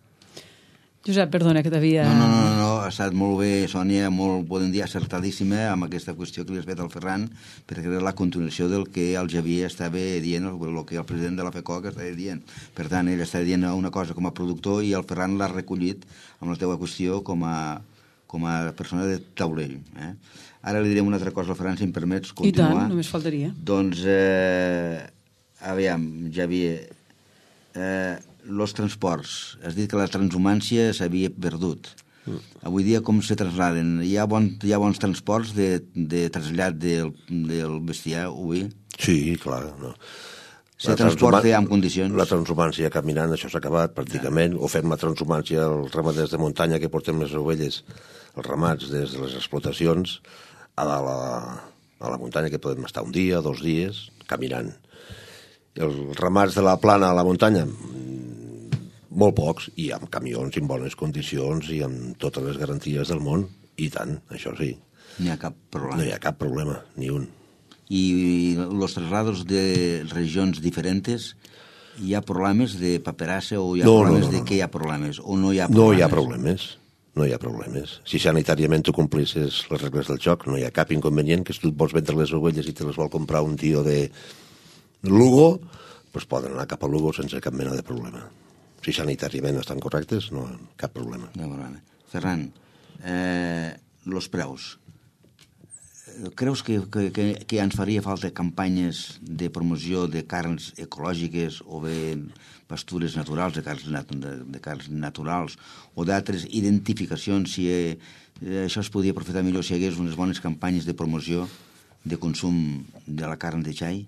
Josep, perdona, que t'havia... No, ha estat molt bé, Sònia, molt, podem dir, acertadíssima amb aquesta qüestió que li has fet al Ferran, perquè era la continuació del que el Javier estava dient, el que el president de la FECOC estava dient. Per tant, ell estava dient una cosa com a productor i el Ferran l'ha recollit amb la teva qüestió com a persona de taulell. Ara li diré una altra cosa al Ferran, si em permets continuar. I tant, només faltaria. Doncs, aviam, Javier... los transports. Has dit que la transhumància s'havia perdut. Avui dia com se trasladen? Hi ha bons transports de trasllat del bestiar, oví? Sí, clar. No. Se transporta en condicions? La transhumància caminant, això s'ha acabat pràcticament, o fem la transhumància als ramaders de muntanya que portem les ovelles, els ramats des de les explotacions a la muntanya, que podem estar un dia, 2 dies, caminant. Els ramats de la plana a la muntanya, molt pocs, i amb camions en bones condicions i amb totes les garanties del món, i tant, això sí. No hi ha cap problema. No hi ha cap problema, ni un. I los traslados de regions diferentes, hi ha problemes de paperassa o hi ha problemes de què hi ha problemes? O no hi ha problemes? No hi ha problemes. No hi ha problemes. Si sanitàriament tu complisses les regles del joc, no hi ha cap inconvenient, que si tu vols vendre les ovelles i te les vol comprar un tio de Lugo, doncs poden anar cap a Lugo sense cap mena de problema. Si sanitàriament estan correctes, no cap problema. No, Ferran, los preus. Creus que ens faria falta campanyes de promoció de carns ecològiques o bé pastures naturals, de carns naturals o d'altres identificacions, si això es podria aprofitar millor si hi hagués unes bones campanyes de promoció de consum de la carn de xai?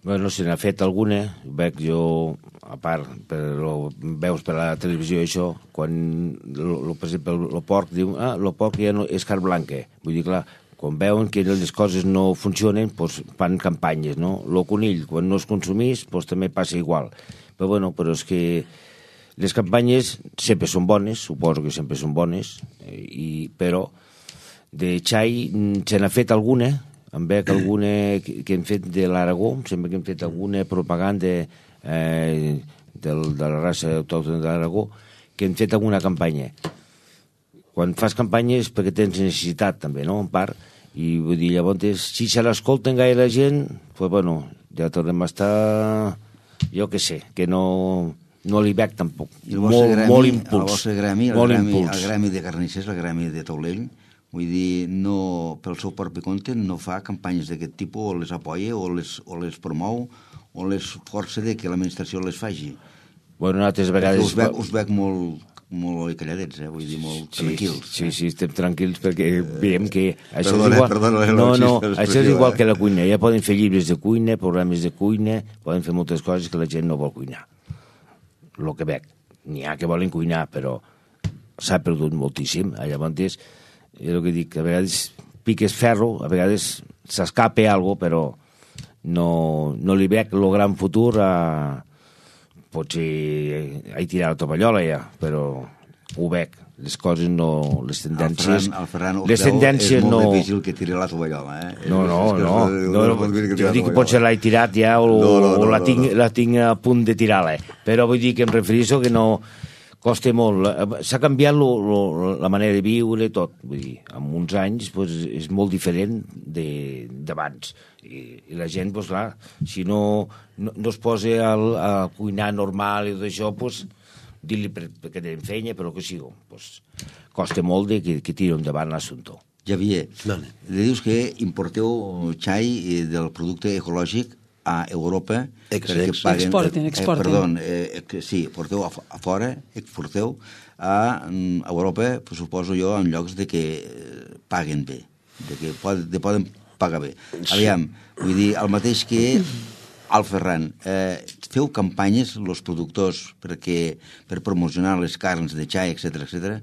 Bueno, se n'ha fet alguna, veig jo, a part, veus per la televisió això, quan, per exemple, el porc diu, el porc ja no és carn blanca. Vull dir, clar, quan veuen que les coses no funcionen, doncs fan campanyes, no? El conill, quan no es consumís, doncs també passa igual. Però és que les campanyes sempre són bones, suposo que sempre són bones, però de xai se n'ha fet alguna. Em veig alguna que hem fet de l'Aragó, sempre que hem fet alguna propaganda de la raça autòctona de l'Aragó, que hem fet alguna campanya. Quan fas campanyes perquè tens necessitat també, no?, en part, i vull dir, llavors, si se l'escolten gaire la gent, doncs, bueno, ja tornem a estar, jo què sé, que no li veig tampoc. Molt impuls. El vostre gremi, el gremi de carnissers, el gremi de taulell, vull dir, no, pel seu propi compte no fa campanyes d'aquest tipus, o les apoya, o les promou, o les força de que l'administració les faci. Bueno, altres vegades... Us veig molt calladets, vull dir, molt tranquils. Sí, estem tranquils perquè veiem que això és igual... això és igual que la cuina. Ja poden fer llibres de cuina, programes de cuina, poden fer moltes coses que la gent no vol cuinar. El que veig. N'hi ha que volen cuinar, però s'ha perdut moltíssim. Llavors, és el que dic, a vegades piques ferro, a vegades s'escapa alguna cosa, però no li veig el gran futur a... Potser he tirat la tovallola ja, però ho veig. Les coses no... Les tendències... El Ferran les tendències és molt no... difícil que tiri la tovallola, No. Jo dic que potser l'he tirat ja o la tinc a punt de tirar-la. Però vull dir que em refereixo que no... Costa molt. S'ha canviat la manera de viure i tot. Vull dir, en uns anys és molt diferent d'abans. I la gent, clar, si no es posa a cuinar normal i tot això, dir-li perquè tenen feina, però que sigui. Costa molt que tiri endavant l'assumpte. Javier, dius que importeu xai del producte ecològic a Europa exporten. Sí, porteu a fora, exporteu a Europa, suposo jo, en llocs de que paguen bé, de que poden pagar bé. Aviam, vull dir, el mateix que al Ferran, feu campanyes, els productors, per promocionar les carns de xai, etc.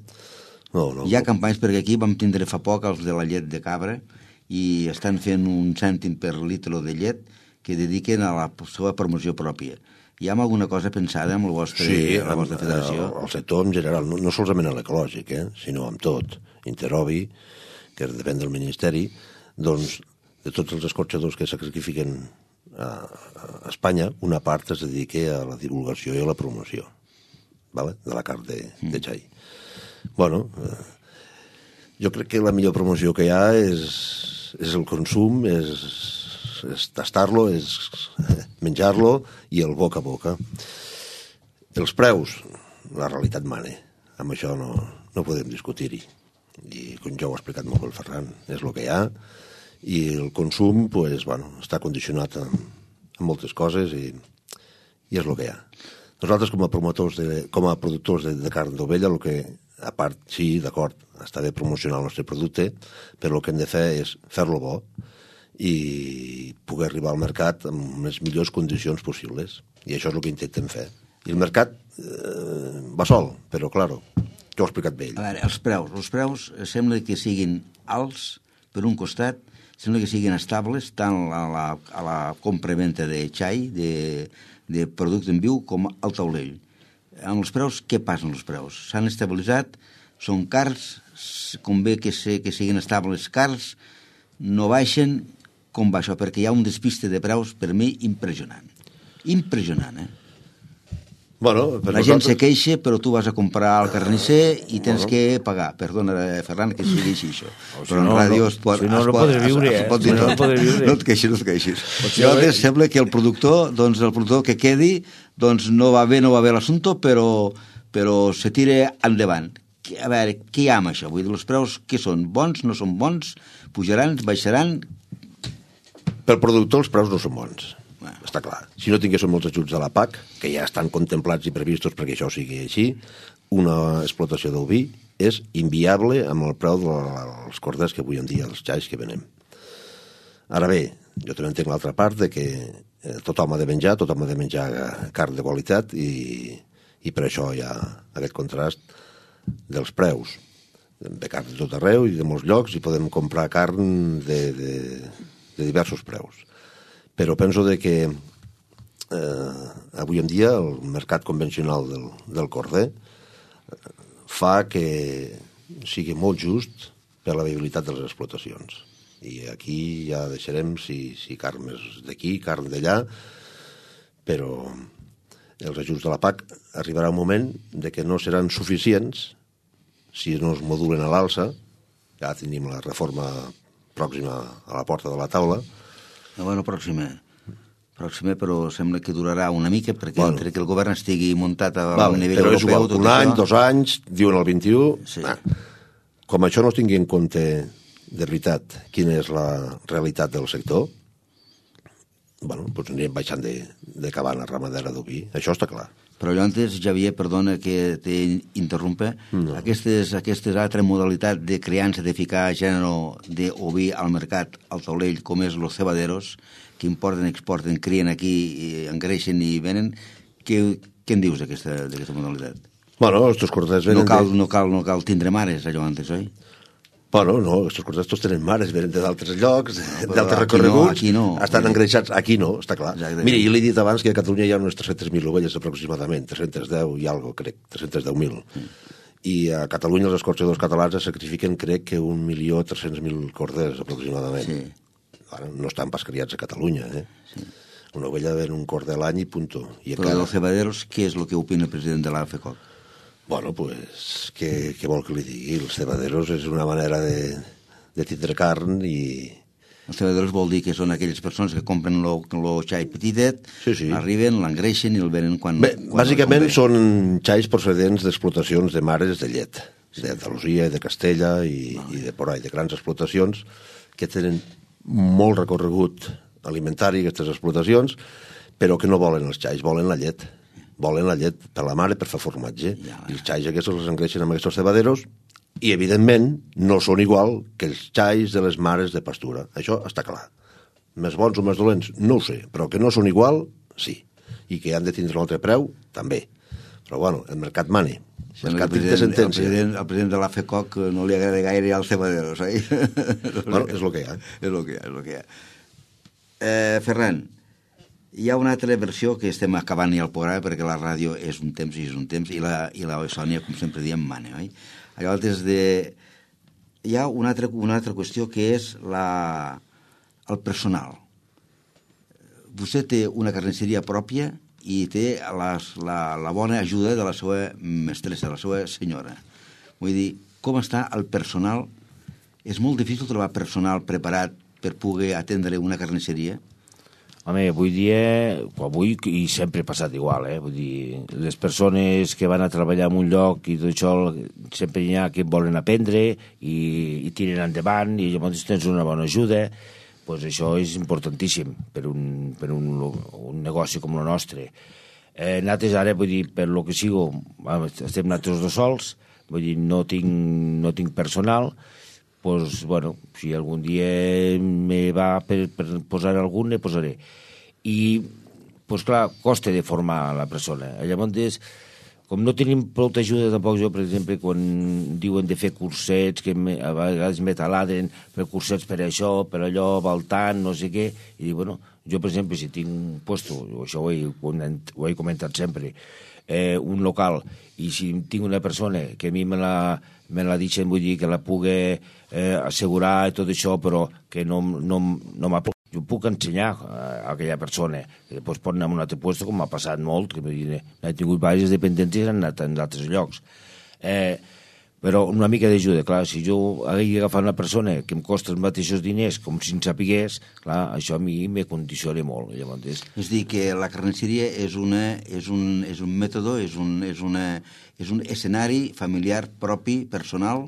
No. Hi ha campanyes, perquè aquí vam tindre fa poc els de la llet de cabra i estan fent un cèntim per litre de llet que dediquen a la seva promoció pròpia. Hi ha alguna cosa pensada amb la vostra federació? El sector en general, no solament en l'ecològic, sinó amb tot. Interobi, que depèn del Ministeri, doncs, de tots els escorxadors que sacrifiquen a Espanya, una part es dedica a la divulgació i a la promoció, vale? De la carn de xai. Bueno, jo crec que la millor promoció que hi ha és el consum, és tastar-lo, és menjar-lo i el boca a boca. Els preus, la realitat mana. Amb això no podem discutir-hi. I com ja ho ha explicat molt el Ferran, és el que hi ha. I el consum està condicionat amb moltes coses i és el que hi ha. Nosaltres, com a productors de carn d'ovella, el que, a part, sí, d'acord, està bé promocionar el nostre producte, però el que hem de fer és fer-lo bo i poder arribar al mercat amb les millors condicions possibles. I això és el que intentem fer. I el mercat va sol, però, clar, ja ho he explicat bé ell. A veure, els preus sembla que siguin alts, per un costat, sembla que siguin estables tant a la compra-venta de xai, de producte en viu, com al taulell. Amb els preus, què passa amb els preus? S'han estabilitzat? Són cars? Convé que siguin estables cars? No baixen? Com va això? Perquè hi ha un despiste de preus, per mi, impressionant. Impressionant, Bueno, la gent se queixa, però tu vas a comprar al carnisser i tens que pagar. Perdona, Ferran, que sigui així, això. Però en ràdio es pot... Si no, no podràs viure, No et queixis. Llavors, sembla que el productor que quedi, doncs no va bé l'assumpte, però se tira endavant. A veure, què hi ha amb això? Vull dir, els preus, què són? Bons, no són bons? Pujaran, baixaran? Per productor els preus no són bons. Està clar. Si no tinguéssim molts ajuts de la PAC, que ja estan contemplats i previstos perquè això sigui així, una explotació d'oví és inviable amb el preu dels corders que avui en dia, els xais que venem. Ara bé, jo també entenc l'altra part de que tothom ha de menjar carn de qualitat i per això hi ha aquest contrast dels preus. De carn de tot arreu i de molts llocs i podem comprar carn de diversos preus. Però penso que avui en dia el mercat convencional del corder fa que sigui molt just per la viabilitat de les explotacions. I aquí ja deixarem si carn més d'aquí, carn d'allà, però els ajuts de la PAC arribarà un moment de que no seran suficients si no es modulen a l'alça. Ja tenim la reforma pròxima a la porta de la taula. Bueno, pròxima, però sembla que durarà una mica perquè entre que el govern estigui muntat a un nivell però europeu... és igual, un any, 2 anys, diuen el 21... Sí. Com això no es tingui en compte de veritat quina és la realitat del sector, doncs anirem baixant de cabana ramadera d'oví, això està clar. Però jo antes, Javier, perdona que t'interrompa, aquestes altres modalitats de criança, de ficar gènere d'oví al mercat, al taulell, com és los cebaderos, que importen, exporten, crien aquí, engreixen i venen, què en dius d'aquesta modalitat? Bueno, estos corders venen... No cal tindre mares, allò antes, oi? Bueno, no, estos corders tots tenen mares, venen d'altres llocs, d'altres recorreguts, aquí no, estan engreixats, aquí no, està clar. Exactament. Mira, jo l'he dit abans que a Catalunya hi ha unes 300.000 ovelles aproximadament, 310 i algo, crec, 310.000. I a Catalunya els escorxadors catalans sacrifiquen, crec, que 1.300.000 corders aproximadament. Sí. Ara, no estan pas criats a Catalunya, Sí. Una ovella ven un corder a l'any i punto. Però dels cebaderos, què és el que opina el president de l'AFECOC? Bueno, pues, què vol que li digui? Els cebaderos és una manera de tindre carn i... Els cebaderos vol dir que són aquelles persones que compren el xai petitet, arriben, l'engreixen i el venen quan... Bé, bàsicament són xais procedents d'explotacions de mares de llet, d'Andalusia i de Castella i de por ahí, de grans explotacions que tenen molt recorregut alimentari, aquestes explotacions, però que no volen els xais, volen la llet. Volen la llet per la mare per fer formatge. I els xais aquests els engreixen amb aquests cebaderos i, evidentment, no són igual que els xais de les mares de pastura. Això està clar. Més bons o més dolents, no ho sé, però que no són igual, sí. I que han de tindre un altre preu, també. Però, bueno, el mercat mane. El mercat té sentència. El president de l'AFECOC no li agrada gaire als cebaderos, oi? Bueno, és el que hi ha. És el que hi ha. Ferran, Hi ha una altra versió que estem acabant ja el programa, perquè la ràdio és un temps i és un temps, i la Sònia, com sempre diem, mana, oi? Llavors, hi ha una altra qüestió que és el personal. Vostè té una carnisseria pròpia i té la bona ajuda de la seva mestressa, la seva senyora. Vull dir, com està el personal? És molt difícil trobar personal preparat per poder atendre una carnisseria? Home, avui i sempre ha passat igual, vull dir, les persones que van a treballar en un lloc i tot això, sempre hi ha que volen aprendre i tiren endavant i llavors tens una bona ajuda, doncs això és importantíssim per un negoci com el nostre. Nosaltres ara, vull dir, per lo que sigo, estem nosaltres dos sols, vull dir, no tinc personal, doncs, bueno, si algun dia me va per posar algun, ne posaré. I, doncs clar, costa de formar la persona. Llavors, com no tenim prou ajuda tampoc, jo, per exemple, quan diuen de fer cursets, que a vegades me taladen per cursets per això, per allò, voltant, no sé què, i dic, bueno, jo, per exemple, si tinc un puesto, això ho he comentat sempre, un local, i si tinc una persona que a mi me la deixen, vull dir, que la pugui assegurar i tot això, però que no jo puc ensenyar a aquella persona, que després pot anar a un altre lloc, com m'ha passat molt, que he tingut diverses dependents i han anat en altres llocs. Però una mica d'ajuda, clar, si jo hagués agafat una persona que em costa els mateixos diners com si en sapigués, clar, això a mi me condiciona molt. Llavors... És dir, que la carnisseria és un mètode, és un escenari familiar propi, personal.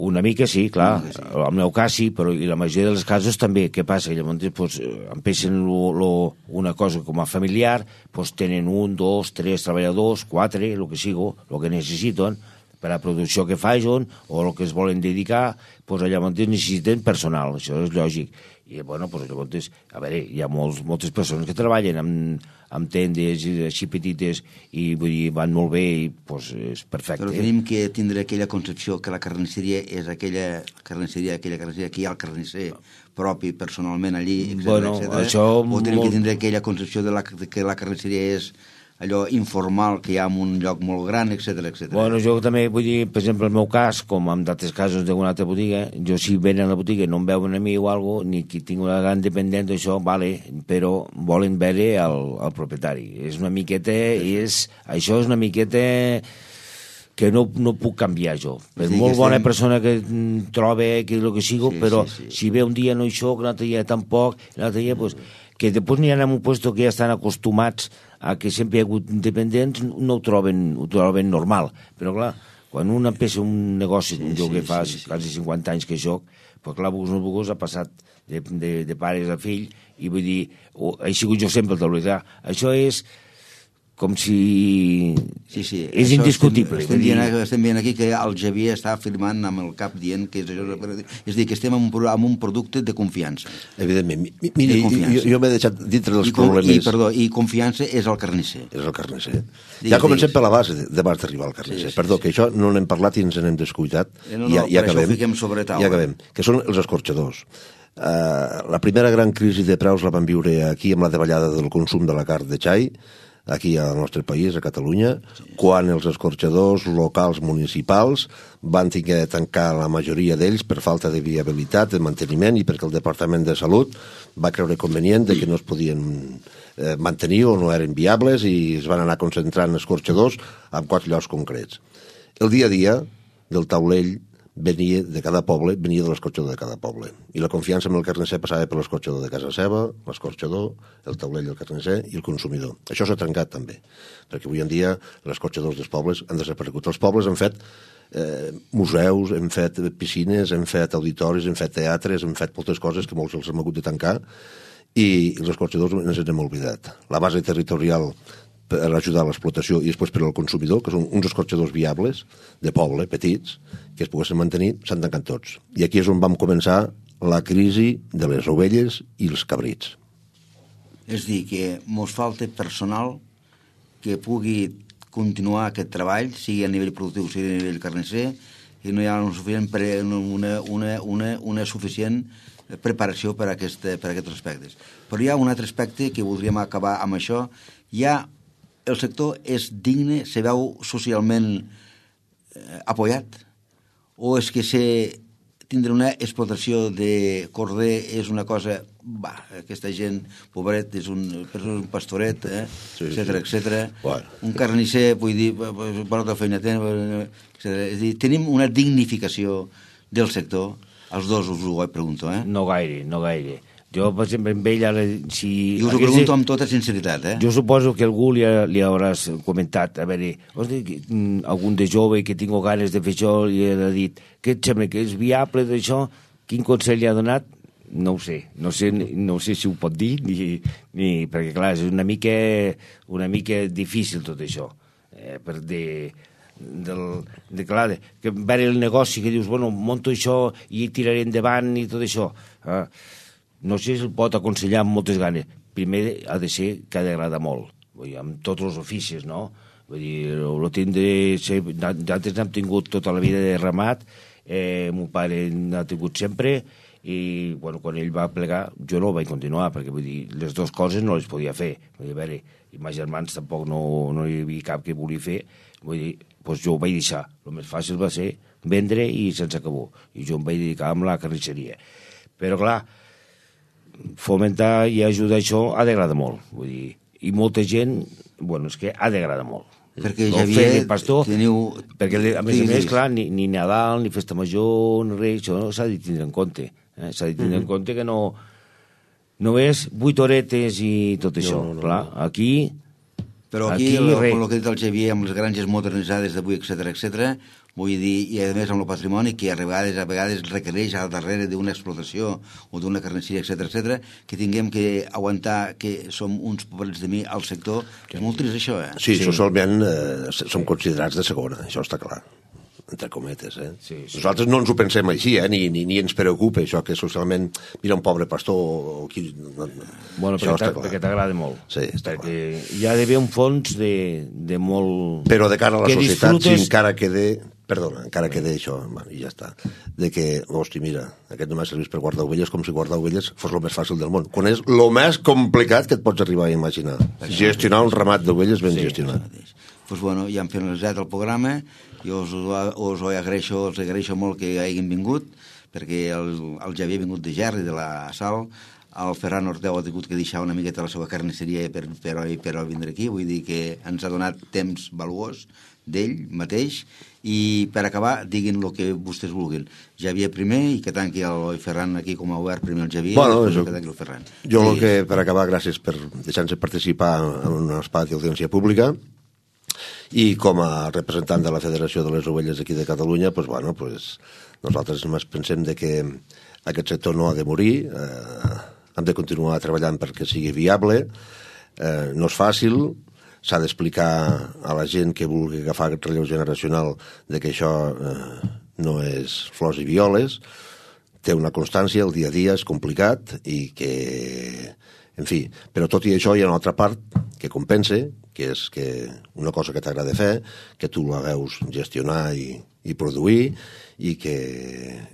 Una mica sí, clar, el meu cas sí, però i la majoria dels casos també. Què passa? Llavors, pues, empecen una cosa com a familiar, pues, tenen 1, 2, 3 treballadors, 4, el que sigo, el que necessiten, per a la producció que facin o el que es volen dedicar, pues, llavors necessiten personal, això és lògic. I, bueno, pues, llavors, a veure, hi ha moltes persones que treballen amb tendes així petites i vull dir, van molt bé i pues, és perfecte. Però tenim que tindre aquella concepció que la carnisseria és aquella carnisseria que hi ha el carnisser propi personalment allí, etc. Bueno, això o tenim que tindre aquella concepció que la carnisseria és allò informal que hi ha en un lloc molt gran, etc. Bueno, jo també vull dir, per exemple, el meu cas, com en d'altres casos d'alguna altra botiga, jo si venen a la botiga no em veuen a mi o alguna cosa, ni que tinc una gran dependent d'això, vale, però volen veure el propietari. És una miqueta, això és una miqueta que no puc canviar jo. Per molt bona persona que trobe, que és el que sigo, però si ve un dia no hi soc, l'altre dia tampoc, l'altre dia, pues, que després n'hi ha en un lloc que ja estan acostumats a que sempre hi ha hagut independents, no ho troben normal. Però, clar, quan un empieza un negoci, jo que fa quasi 50 anys que soc, però, clar, ha passat de pares a fill, i vull dir, he sigut jo sempre el d'oblidar. Això és com si... És indiscutible. Estem veient aquí que el Javier està afirmant amb el cap dient que és això. És dir, que estem en un producte de confiança. Evidentment. Mira, jo m'he deixat dintre dels problemes... I confiança és el carnisser. És el carnisser. Ja comencem per la base d'abans d'arribar al carnisser. Perdó, que això no n'hem parlat i ens n'hem descuidat. Per això ho fiquem sobre taula. Ja acabem. Que són els escorxadors. La primera gran crisi de preus la vam viure aquí amb la davallada del consum de la carn de xai, aquí al nostre país, a Catalunya, quan els escorxadors locals municipals van haver de tancar la majoria d'ells per falta de viabilitat, de manteniment, i perquè el Departament de Salut va creure convenient que no es podien mantenir o no eren viables i es van anar concentrant escorxadors en 4 llocs concrets. El dia a dia del taulell venia de cada poble, venia de l'escorxador de cada poble. I la confiança en el carnisser passava per l'escorxador de casa seva, l'escorxador, el taulell del carnisser i el consumidor. Això s'ha trencat també, perquè avui en dia els escorxadors dels pobles han desaparegut. Els pobles han fet museus, hem fet piscines, hem fet auditoris, hem fet teatres, hem fet moltes coses que molts els hem hagut de tancar i els escorxadors ens hem oblidat. La base territorial per ajudar a l'explotació i després per al consumidor, que són uns escorxadors viables, de poble, petits, que es poguessin mantenir, s'han tancat tots. I aquí és on vam començar la crisi de les ovelles i els cabrits. És dir, que ens falta personal que pugui continuar aquest treball, sigui a nivell productiu, sigui a nivell carnisser, i no hi ha una suficient preparació per a aquests aspectes. Però hi ha un altre aspecte que voldríem acabar amb això. El sector és digne, se veu socialment apoyat, o és que tindre una explotació de corder és una cosa, aquesta gent, pobret, és un pastoret, etcètera. Bueno. Un carnisser, vull dir, bona feina té, etcètera. És a dir, tenim una dignificació del sector, els dos us ho pregunto, No gaire. Jo, per exemple, amb ell ara... I us ho pregunto amb tota sinceritat, Jo suposo que algú li hauràs comentat, a veure, algun de jove que tinc ganes de fer això i ha dit, què et sembla, que és viable d'això? Quin consell li ha donat? No ho sé. No sé si ho pot dir, ni perquè, clar, és una mica difícil tot això. Clar, que veure el negoci, que dius, bueno, monto això i tiraré endavant i tot això. No sé si el pot aconsellar amb moltes ganes. Primer ha de ser que ha d'agradar molt, vull dir, amb tots els oficis, no? Vull dir, nosaltres n'hem tingut tota la vida de ramat, mon pare n'ha tingut sempre, i bueno, quan ell va plegar jo no ho vaig continuar, perquè vull dir, les dues coses no les podia fer. Vull dir, a veure, i meus germans tampoc no hi havia cap que volia fer, vull dir, doncs jo ho vaig deixar. El més fàcil va ser vendre i sense acabó, i jo em vaig dedicar amb la carnisseria. Però clar, fomentar i ajudar això ha d'agradar molt, vull dir, i molta gent, bueno, és que ha d'agradar molt. Perquè Javier, perquè a més, clar, ni Nadal, ni Festa Major, ni res, això s'ha de tindre en compte. S'ha de tindre en compte que no és 8 horetes i tot això, clar, aquí... Però aquí el que ha dit el Javier, amb les granges modernitzades d'avui, etcètera, vull dir, i a més amb el patrimoni, que a vegades requereix al darrere d'una explotació o d'una carnisseria, etcètera, que tinguem que aguantar que som uns pobrets de mi al sector, és molt trist això, Sí, socialment som considerats de segona, això està clar, entre cometes, Sí. Nosaltres no ens ho pensem així, ni ens preocupa això, que socialment, mira un pobre pastor... Bueno, perquè t'agrada molt. Sí, està clar. Hi ha d'haver un fons de molt... Però de cara a la societat, si encara queda això, i ja està, de que, hosti, mira, aquest només serveix per guardar ovelles, com si guardar ovelles fos el més fàcil del món, quan és el més complicat que et pots arribar a imaginar. Gestionar un ramat d'ovelles ben gestionat. Doncs bueno, ja hem finalitzat el programa. Jo us agraeixo molt que hagin vingut, perquè el Javier ha vingut de Gerri, de la Sal, el Ferran Orteu ha tingut que deixar una miqueta la seva carnisseria per vindre aquí, vull dir que ens ha donat temps valuós d'ell mateix, i per acabar, diguin el que vostès vulguin. Javier primer, i que tanqui el Ferran aquí com a obert, primer el Javier, i que tanqui el Ferran. Jo el que, per acabar, gràcies per deixar-nos participar en un espai d'audiència pública, i com a representant de la Federació de les Ovelles aquí de Catalunya, nosaltres només pensem que aquest sector no ha de morir, hem de continuar treballant perquè sigui viable, no és fàcil, s'ha d'explicar a la gent que vulgui agafar aquest relleu generacional de que això no és flors i violes, té una constància, el dia a dia és complicat i que, en fi, però tot i això hi ha una altra part que compensa, que és que una cosa que t'agrada fer, que tu la veus gestionar i produir, i que,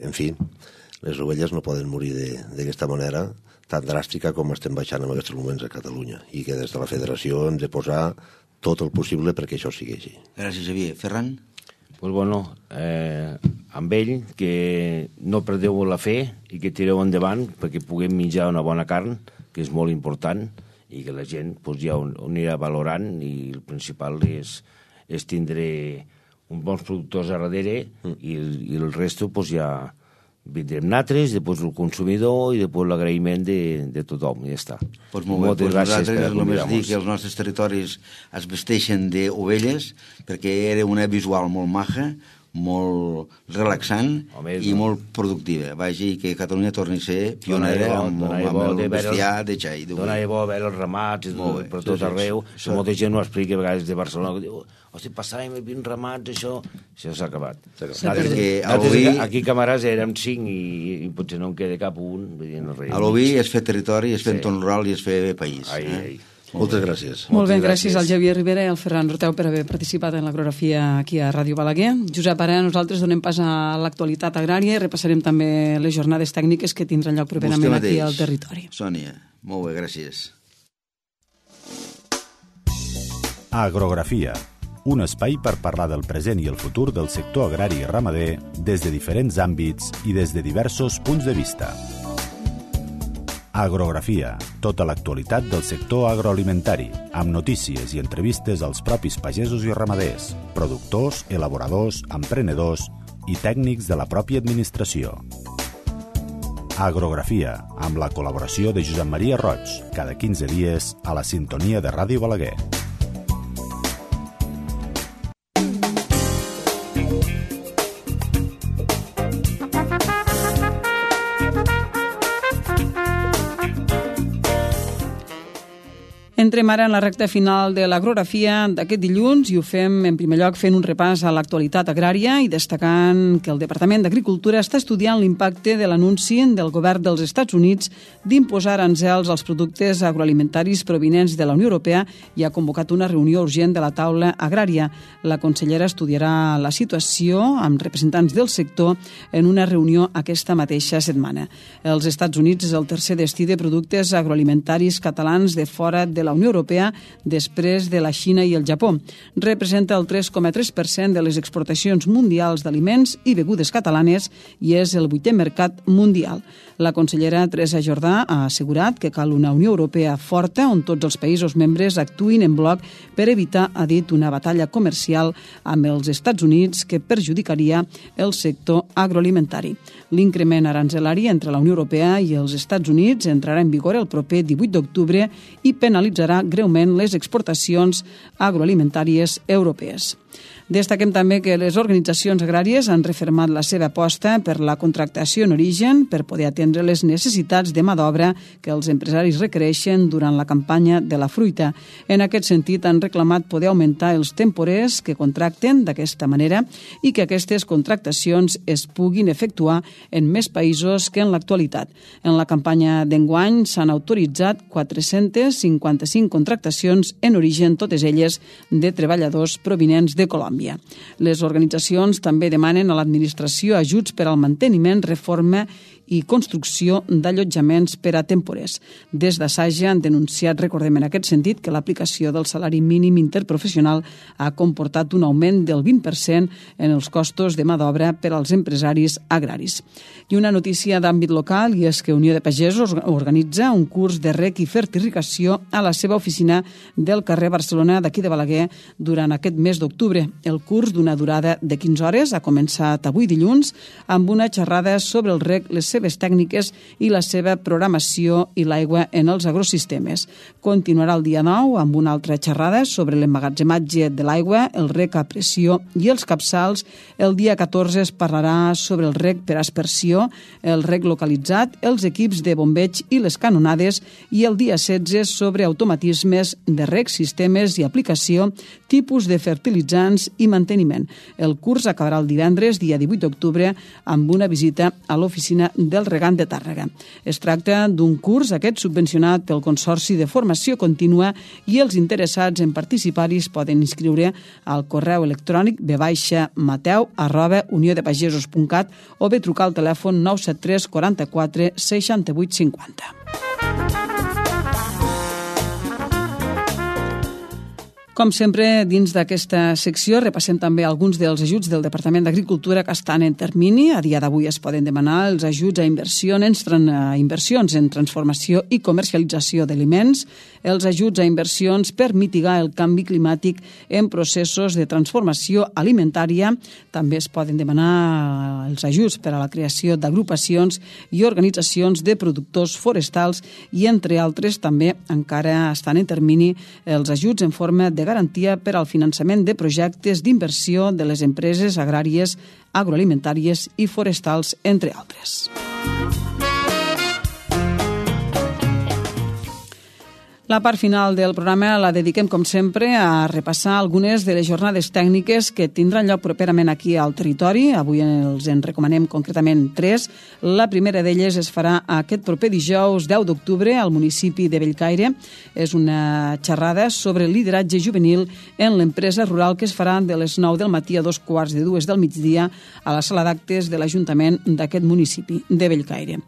en fi, les ovelles no poden morir d'aquesta manera tan dràstica com estem baixant en aquests moments a Catalunya, i que des de la Federació hem de posar tot el possible perquè això sigui així. Gràcies, Javier. Ferran? Pues bueno, amb ell, que no perdeu la fe i que tireu endavant perquè puguem menjar una bona carn, que és molt important, i que la gent ja ho anirà valorant, i el principal és tindre uns bons productors a darrere, i el resto ja vindrem nosaltres, després el consumidor i després l'agraïment de tothom, i ja està. Doncs molt bé, nosaltres només dir que els nostres territoris es vesteixen d'ovelles, perquè era una visual molt maja, molt relaxant i molt productiva. Vagi, que Catalunya torni a ser pionera amb el bestiar de xai. Donava bo veure els ramats per tot arreu. Molta gent ho explica a vegades de Barcelona, que diu, hosti, passàvem 20 ramats, això s'ha acabat. Aquí camarades érem 5 i potser no en queda cap un. A l'oví és fer territori, és fer entorn rural i és fer país. Moltes gràcies. Molt bé, gràcies al Javier Rivera i al Ferran Roteu per haver participat en l'agrografia aquí a Ràdio Balaguer. Josep, ara nosaltres donem pas a l'actualitat agrària i repassarem també les jornades tècniques que tindran lloc properament aquí al territori. Sònia, molt bé, gràcies. Agrografia, un espai per parlar del present i el futur del sector agrari i ramader des de diferents àmbits i des de diversos punts de vista. Agrografia, tota l'actualitat del sector agroalimentari, amb notícies i entrevistes als propis pagesos i ramaders, productors, elaboradors, emprenedors i tècnics de la pròpia administració. Agrografia, amb la col·laboració de Josep Maria Roig, cada 15 dies a la sintonia de Ràdio Balaguer. Entrem ara en la recta final de l'agrografia d'aquest dilluns i ho fem en primer lloc fent un repàs a l'actualitat agrària i destacant que el Departament d'Agricultura està estudiant l'impacte de l'anunci del govern dels Estats Units d'imposar aranzels als productes agroalimentaris provinents de la Unió Europea i ha convocat una reunió urgent de la taula agrària. La consellera estudiarà la situació amb representants del sector en una reunió aquesta mateixa setmana. Els Estats Units és el tercer destí de productes agroalimentaris catalans de fora de la Unió Europea després de la Xina i el Japó. Representa el 3,3% de les exportacions mundials d'aliments i begudes catalanes i és el 8è mercat mundial. La consellera Teresa Jordà ha assegurat que cal una Unió Europea forta on tots els països membres actuïn en bloc per evitar, ha dit, una batalla comercial amb els Estats Units que perjudicaria el sector agroalimentari. L'increment aranzelari entre la Unió Europea i els Estats Units entrarà en vigor el proper 18 d'octubre i penalitzarà greument les exportacions agroalimentàries europees. Destaquem també que les organitzacions agràries han refermat la seva aposta per la contractació en origen per poder atendre les necessitats de mà d'obra que els empresaris requereixen durant la campanya de la fruita. En aquest sentit, han reclamat poder augmentar els temporers que contracten d'aquesta manera i que aquestes contractacions es puguin efectuar en més països que en l'actualitat. En la campanya d'enguany s'han autoritzat 455 contractacions en origen, totes elles de treballadors provinents de Colòmbia. Les organitzacions també demanen a l'administració ajuts per al manteniment, reforma i construcció d'allotjaments per a temporers. Des d'Assaja han denunciat, recordem en aquest sentit, que l'aplicació del salari mínim interprofessional ha comportat un augment del 20% en els costos de mà d'obra per als empresaris agraris. I una notícia d'àmbit local, i és que Unió de Pagesos organitza un curs de rec i fertilizació a la seva oficina del carrer Barcelona d'aquí de Balaguer durant aquest mes d'octubre. El curs, d'una durada de 15 hores, ha començat avui dilluns amb una xerrada sobre el rec, les seves tècniques i la seva programació i l'aigua en els agrosistemes. Continuarà el dia 9 amb una altra xerrada sobre l'emmagatzematge de l'aigua, el rec a pressió i els capçals. El dia 14 es parlarà sobre el rec per aspersió, el rec localitzat, els equips de bombeig i les canonades, i el dia 16 sobre automatismes de rec, sistemes i aplicació, tipus de fertilitzants i manteniment. El curs acabarà el divendres, dia 18 d'octubre, amb una visita a l'oficina del Regant de Tàrrega. Es tracta d'un curs, aquest subvencionat pel Consorci de Formació Contínua, i els interessats en participar-hi es poden inscriure al correu electrònic bmateu@uniodepagesos.cat o bé trucar al telèfon 973 44 68 50. Com sempre, dins d'aquesta secció repassem també alguns dels ajuts del Departament d'Agricultura que estan en termini. A dia d'avui es poden demanar els ajuts a inversions en transformació i comercialització d'aliments, els ajuts a inversions per mitigar el canvi climàtic en processos de transformació alimentària. També es poden demanar els ajuts per a la creació d'agrupacions i organitzacions de productors forestals i, entre altres, també encara estan en termini els ajuts en forma de garantia per al finançament de projectes d'inversió de les empreses agràries, agroalimentàries i forestals, entre altres. La part final del programa la dediquem, com sempre, a repassar algunes de les jornades tècniques que tindran lloc properament aquí al territori. Avui els en recomanem concretament 3. La primera d'elles es farà aquest proper dijous 10 d'octubre al municipi de Bellcaire. És una xerrada sobre lideratge juvenil en l'empresa rural que es farà de les 9 del matí a 2:45 del migdia a la sala d'actes de l'Ajuntament d'aquest municipi de Bellcaire.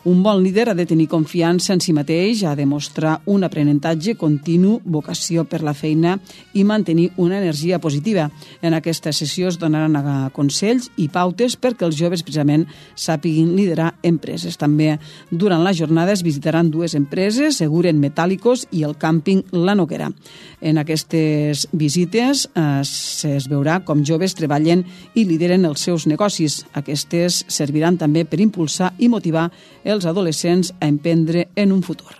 Un bon líder ha de tenir confiança en si mateix, ha de mostrar un aprenentatge continu, vocació per la feina i mantenir una energia positiva. En aquesta sessió es donaran consells i pautes perquè els joves precisament sàpiguin liderar empreses. També durant la jornada es visitaran 2 empreses, Seguren Metàl·licos i el càmping La Noguera. En aquestes visites es veurà com joves treballen i lideren els seus negocis. Aquestes serviran també per impulsar i motivar els adolescents a emprendre en un futur.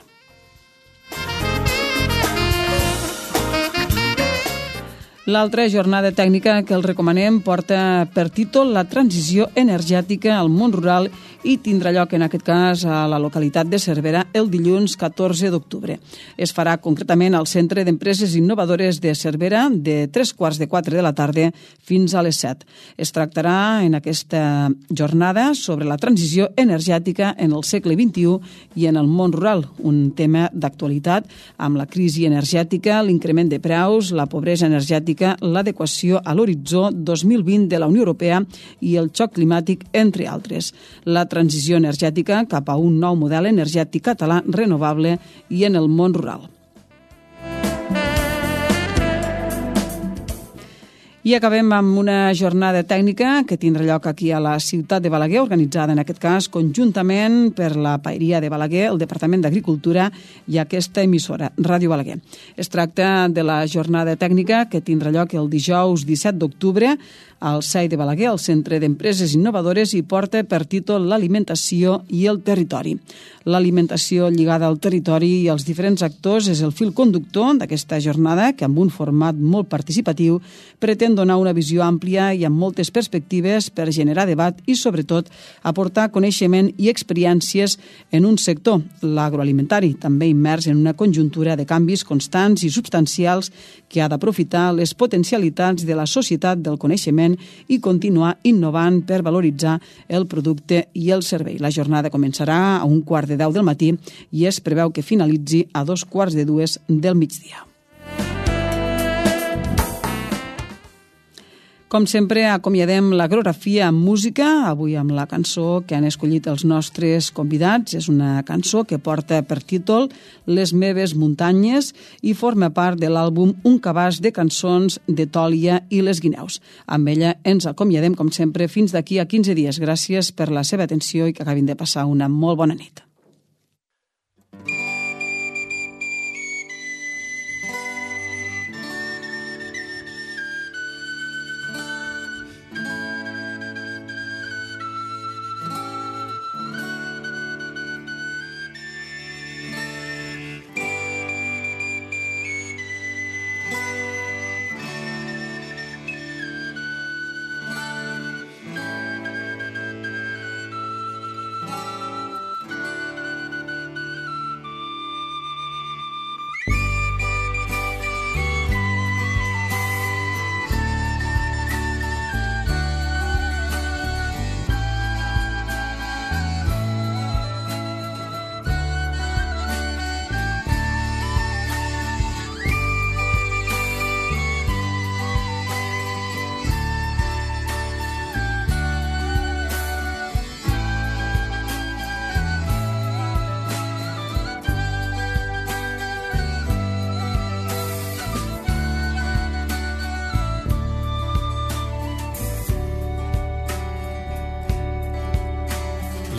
L'altra jornada tècnica que els recomanem porta per títol La transició energètica al món rural i tindrà lloc, en aquest cas, a la localitat de Cervera el dilluns 14 d'octubre. Es farà concretament al Centre d'Empreses Innovadores de Cervera de 3:15 de la tarda fins a les 7. Es tractarà en aquesta jornada sobre la transició energètica en el segle XXI i en el món rural, un tema d'actualitat amb la crisi energètica, l'increment de preus, la pobresa energètica, l'adequació a l'horitzó 2020 de la Unió Europea i el xoc climàtic, entre altres. La transició energètica cap a un nou model energètic català renovable i en el món rural. I acabem amb una jornada tècnica que tindrà lloc aquí a la ciutat de Balaguer, organitzada en aquest cas conjuntament per la Paeria de Balaguer, el Departament d'Agricultura i aquesta emissora, Ràdio Balaguer. Es tracta de la jornada tècnica que tindrà lloc el dijous 17 d'octubre al SAI de Balaguer, al Centre d'Empreses Innovadores, i porta per títol L'alimentació i el territori. L'alimentació lligada al territori i als diferents actors és el fil conductor d'aquesta jornada que, amb un format molt participatiu, pretén donar una visió àmplia i amb moltes perspectives per generar debat i, sobretot, aportar coneixement i experiències en un sector, l'agroalimentari, també immers en una conjuntura de canvis constants i substancials que ha d'aprofitar les potencialitats de la societat del coneixement i continuar innovant per valoritzar el producte i el servei. La jornada començarà a 1:15 del matí i es preveu que finalitzi a 2:45 del migdia. Com sempre, acomiadem l'agrografia amb música, avui amb la cançó que han escollit els nostres convidats. És una cançó que porta per títol Les meves muntanyes i forma part de l'àlbum Un cabàs de cançons de Tòlia i les Guineus. Amb ella ens acomiadem, com sempre, fins d'aquí a 15 dies. Gràcies per la seva atenció i que acabin de passar una molt bona nit.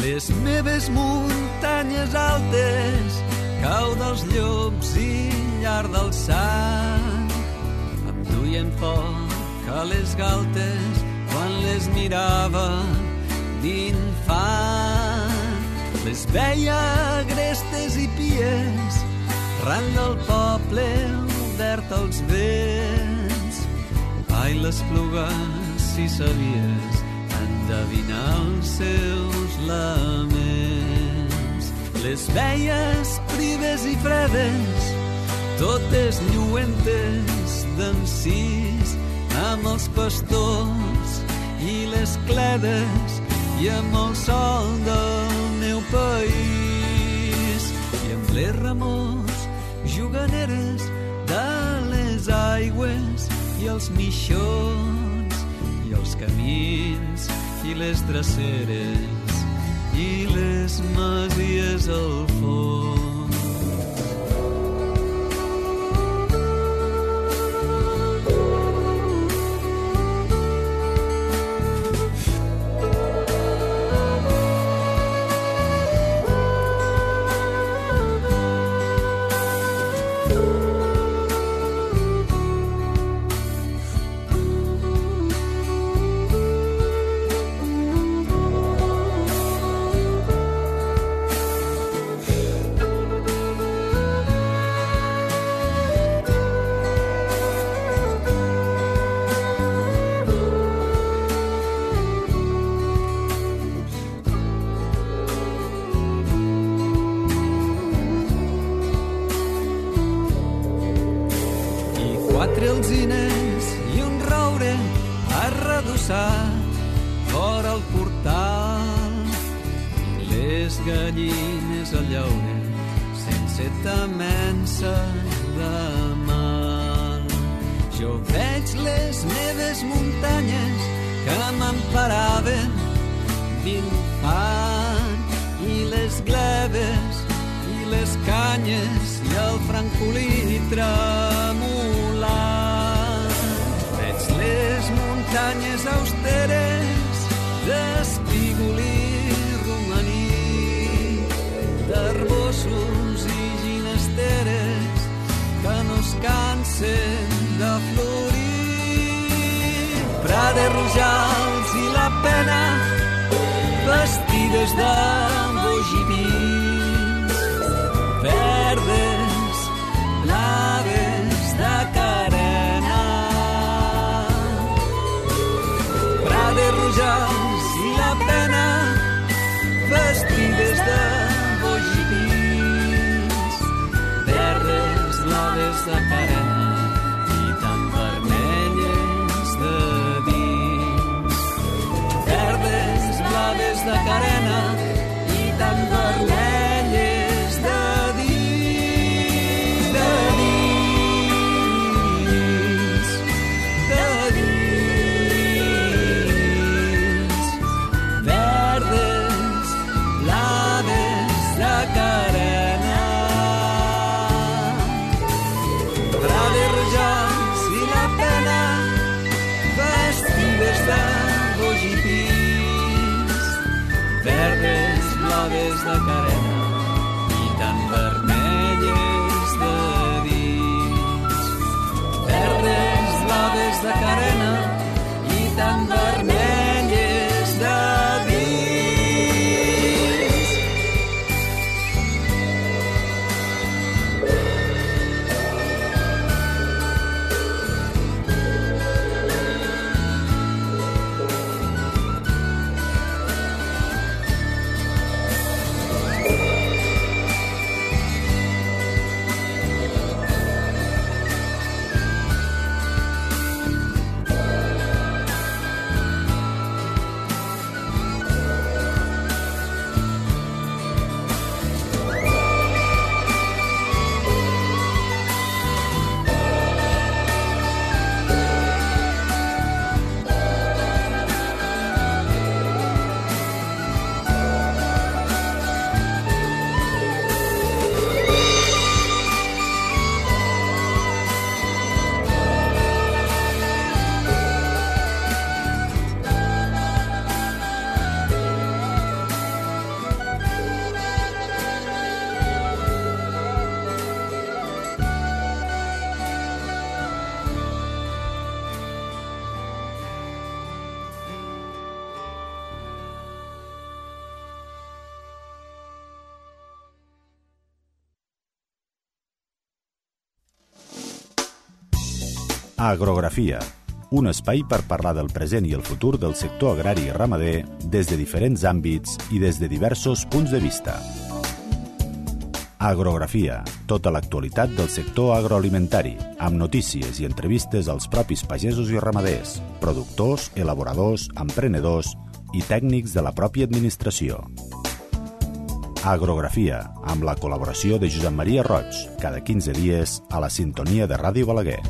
Les meves muntanyes altes, cau dels llops i llar del sant, em duien foc a les galtes quan les mirava d'infant. Les veia agrestes i pies, ran del poble obert als vents. Ai, l'Esplugues, si sabies endevinar els seus laments. Les veies prives i fredes, totes lluentes d'encís, amb els pastors i les cledes i amb el sol del meu país, i amb les remors juganeres de les aigües i els mixons i els camins i les dreceres i les masies al fons. Quatre alzines i un roure arredossat fora el portal, i les gallines a llaure sense temença de mal. Jo veig les meves muntanyes que m'emparaven d'infant, i les gleves i les canyes i el francolí tremolant. Veig les muntanyes austeres d'espígol i romaní, d'arbossos i ginesteres que no es cansen de florir. Prades, rojals i la pena vestides de bogipins, verdes, blaves de carena. Prades, rojals i la pena vestides de bogipins, verdes, blaves de carena i tan vermelles de dins. Verdes, blaves de carena i tan vermelles de dins, de dins, de dins. Verdes, blaves de carena. Prades, rojals i la pena vestides de bogipins, verdes, blaves de carena i tan vermelles de dins. Verdes, blaves de carena i tan vermelles de dins. Agrografia, un espai per parlar del present i el futur del sector agrari i ramader des de diferents àmbits i des de diversos punts de vista. Agrografia, tota l'actualitat del sector agroalimentari, amb notícies i entrevistes als propis pagesos i ramaders, productors, elaboradors, emprenedors i tècnics de la pròpia administració. Agrografia, amb la col·laboració de Josep Maria Roig, cada 15 dies a la sintonia de Ràdio Balaguer.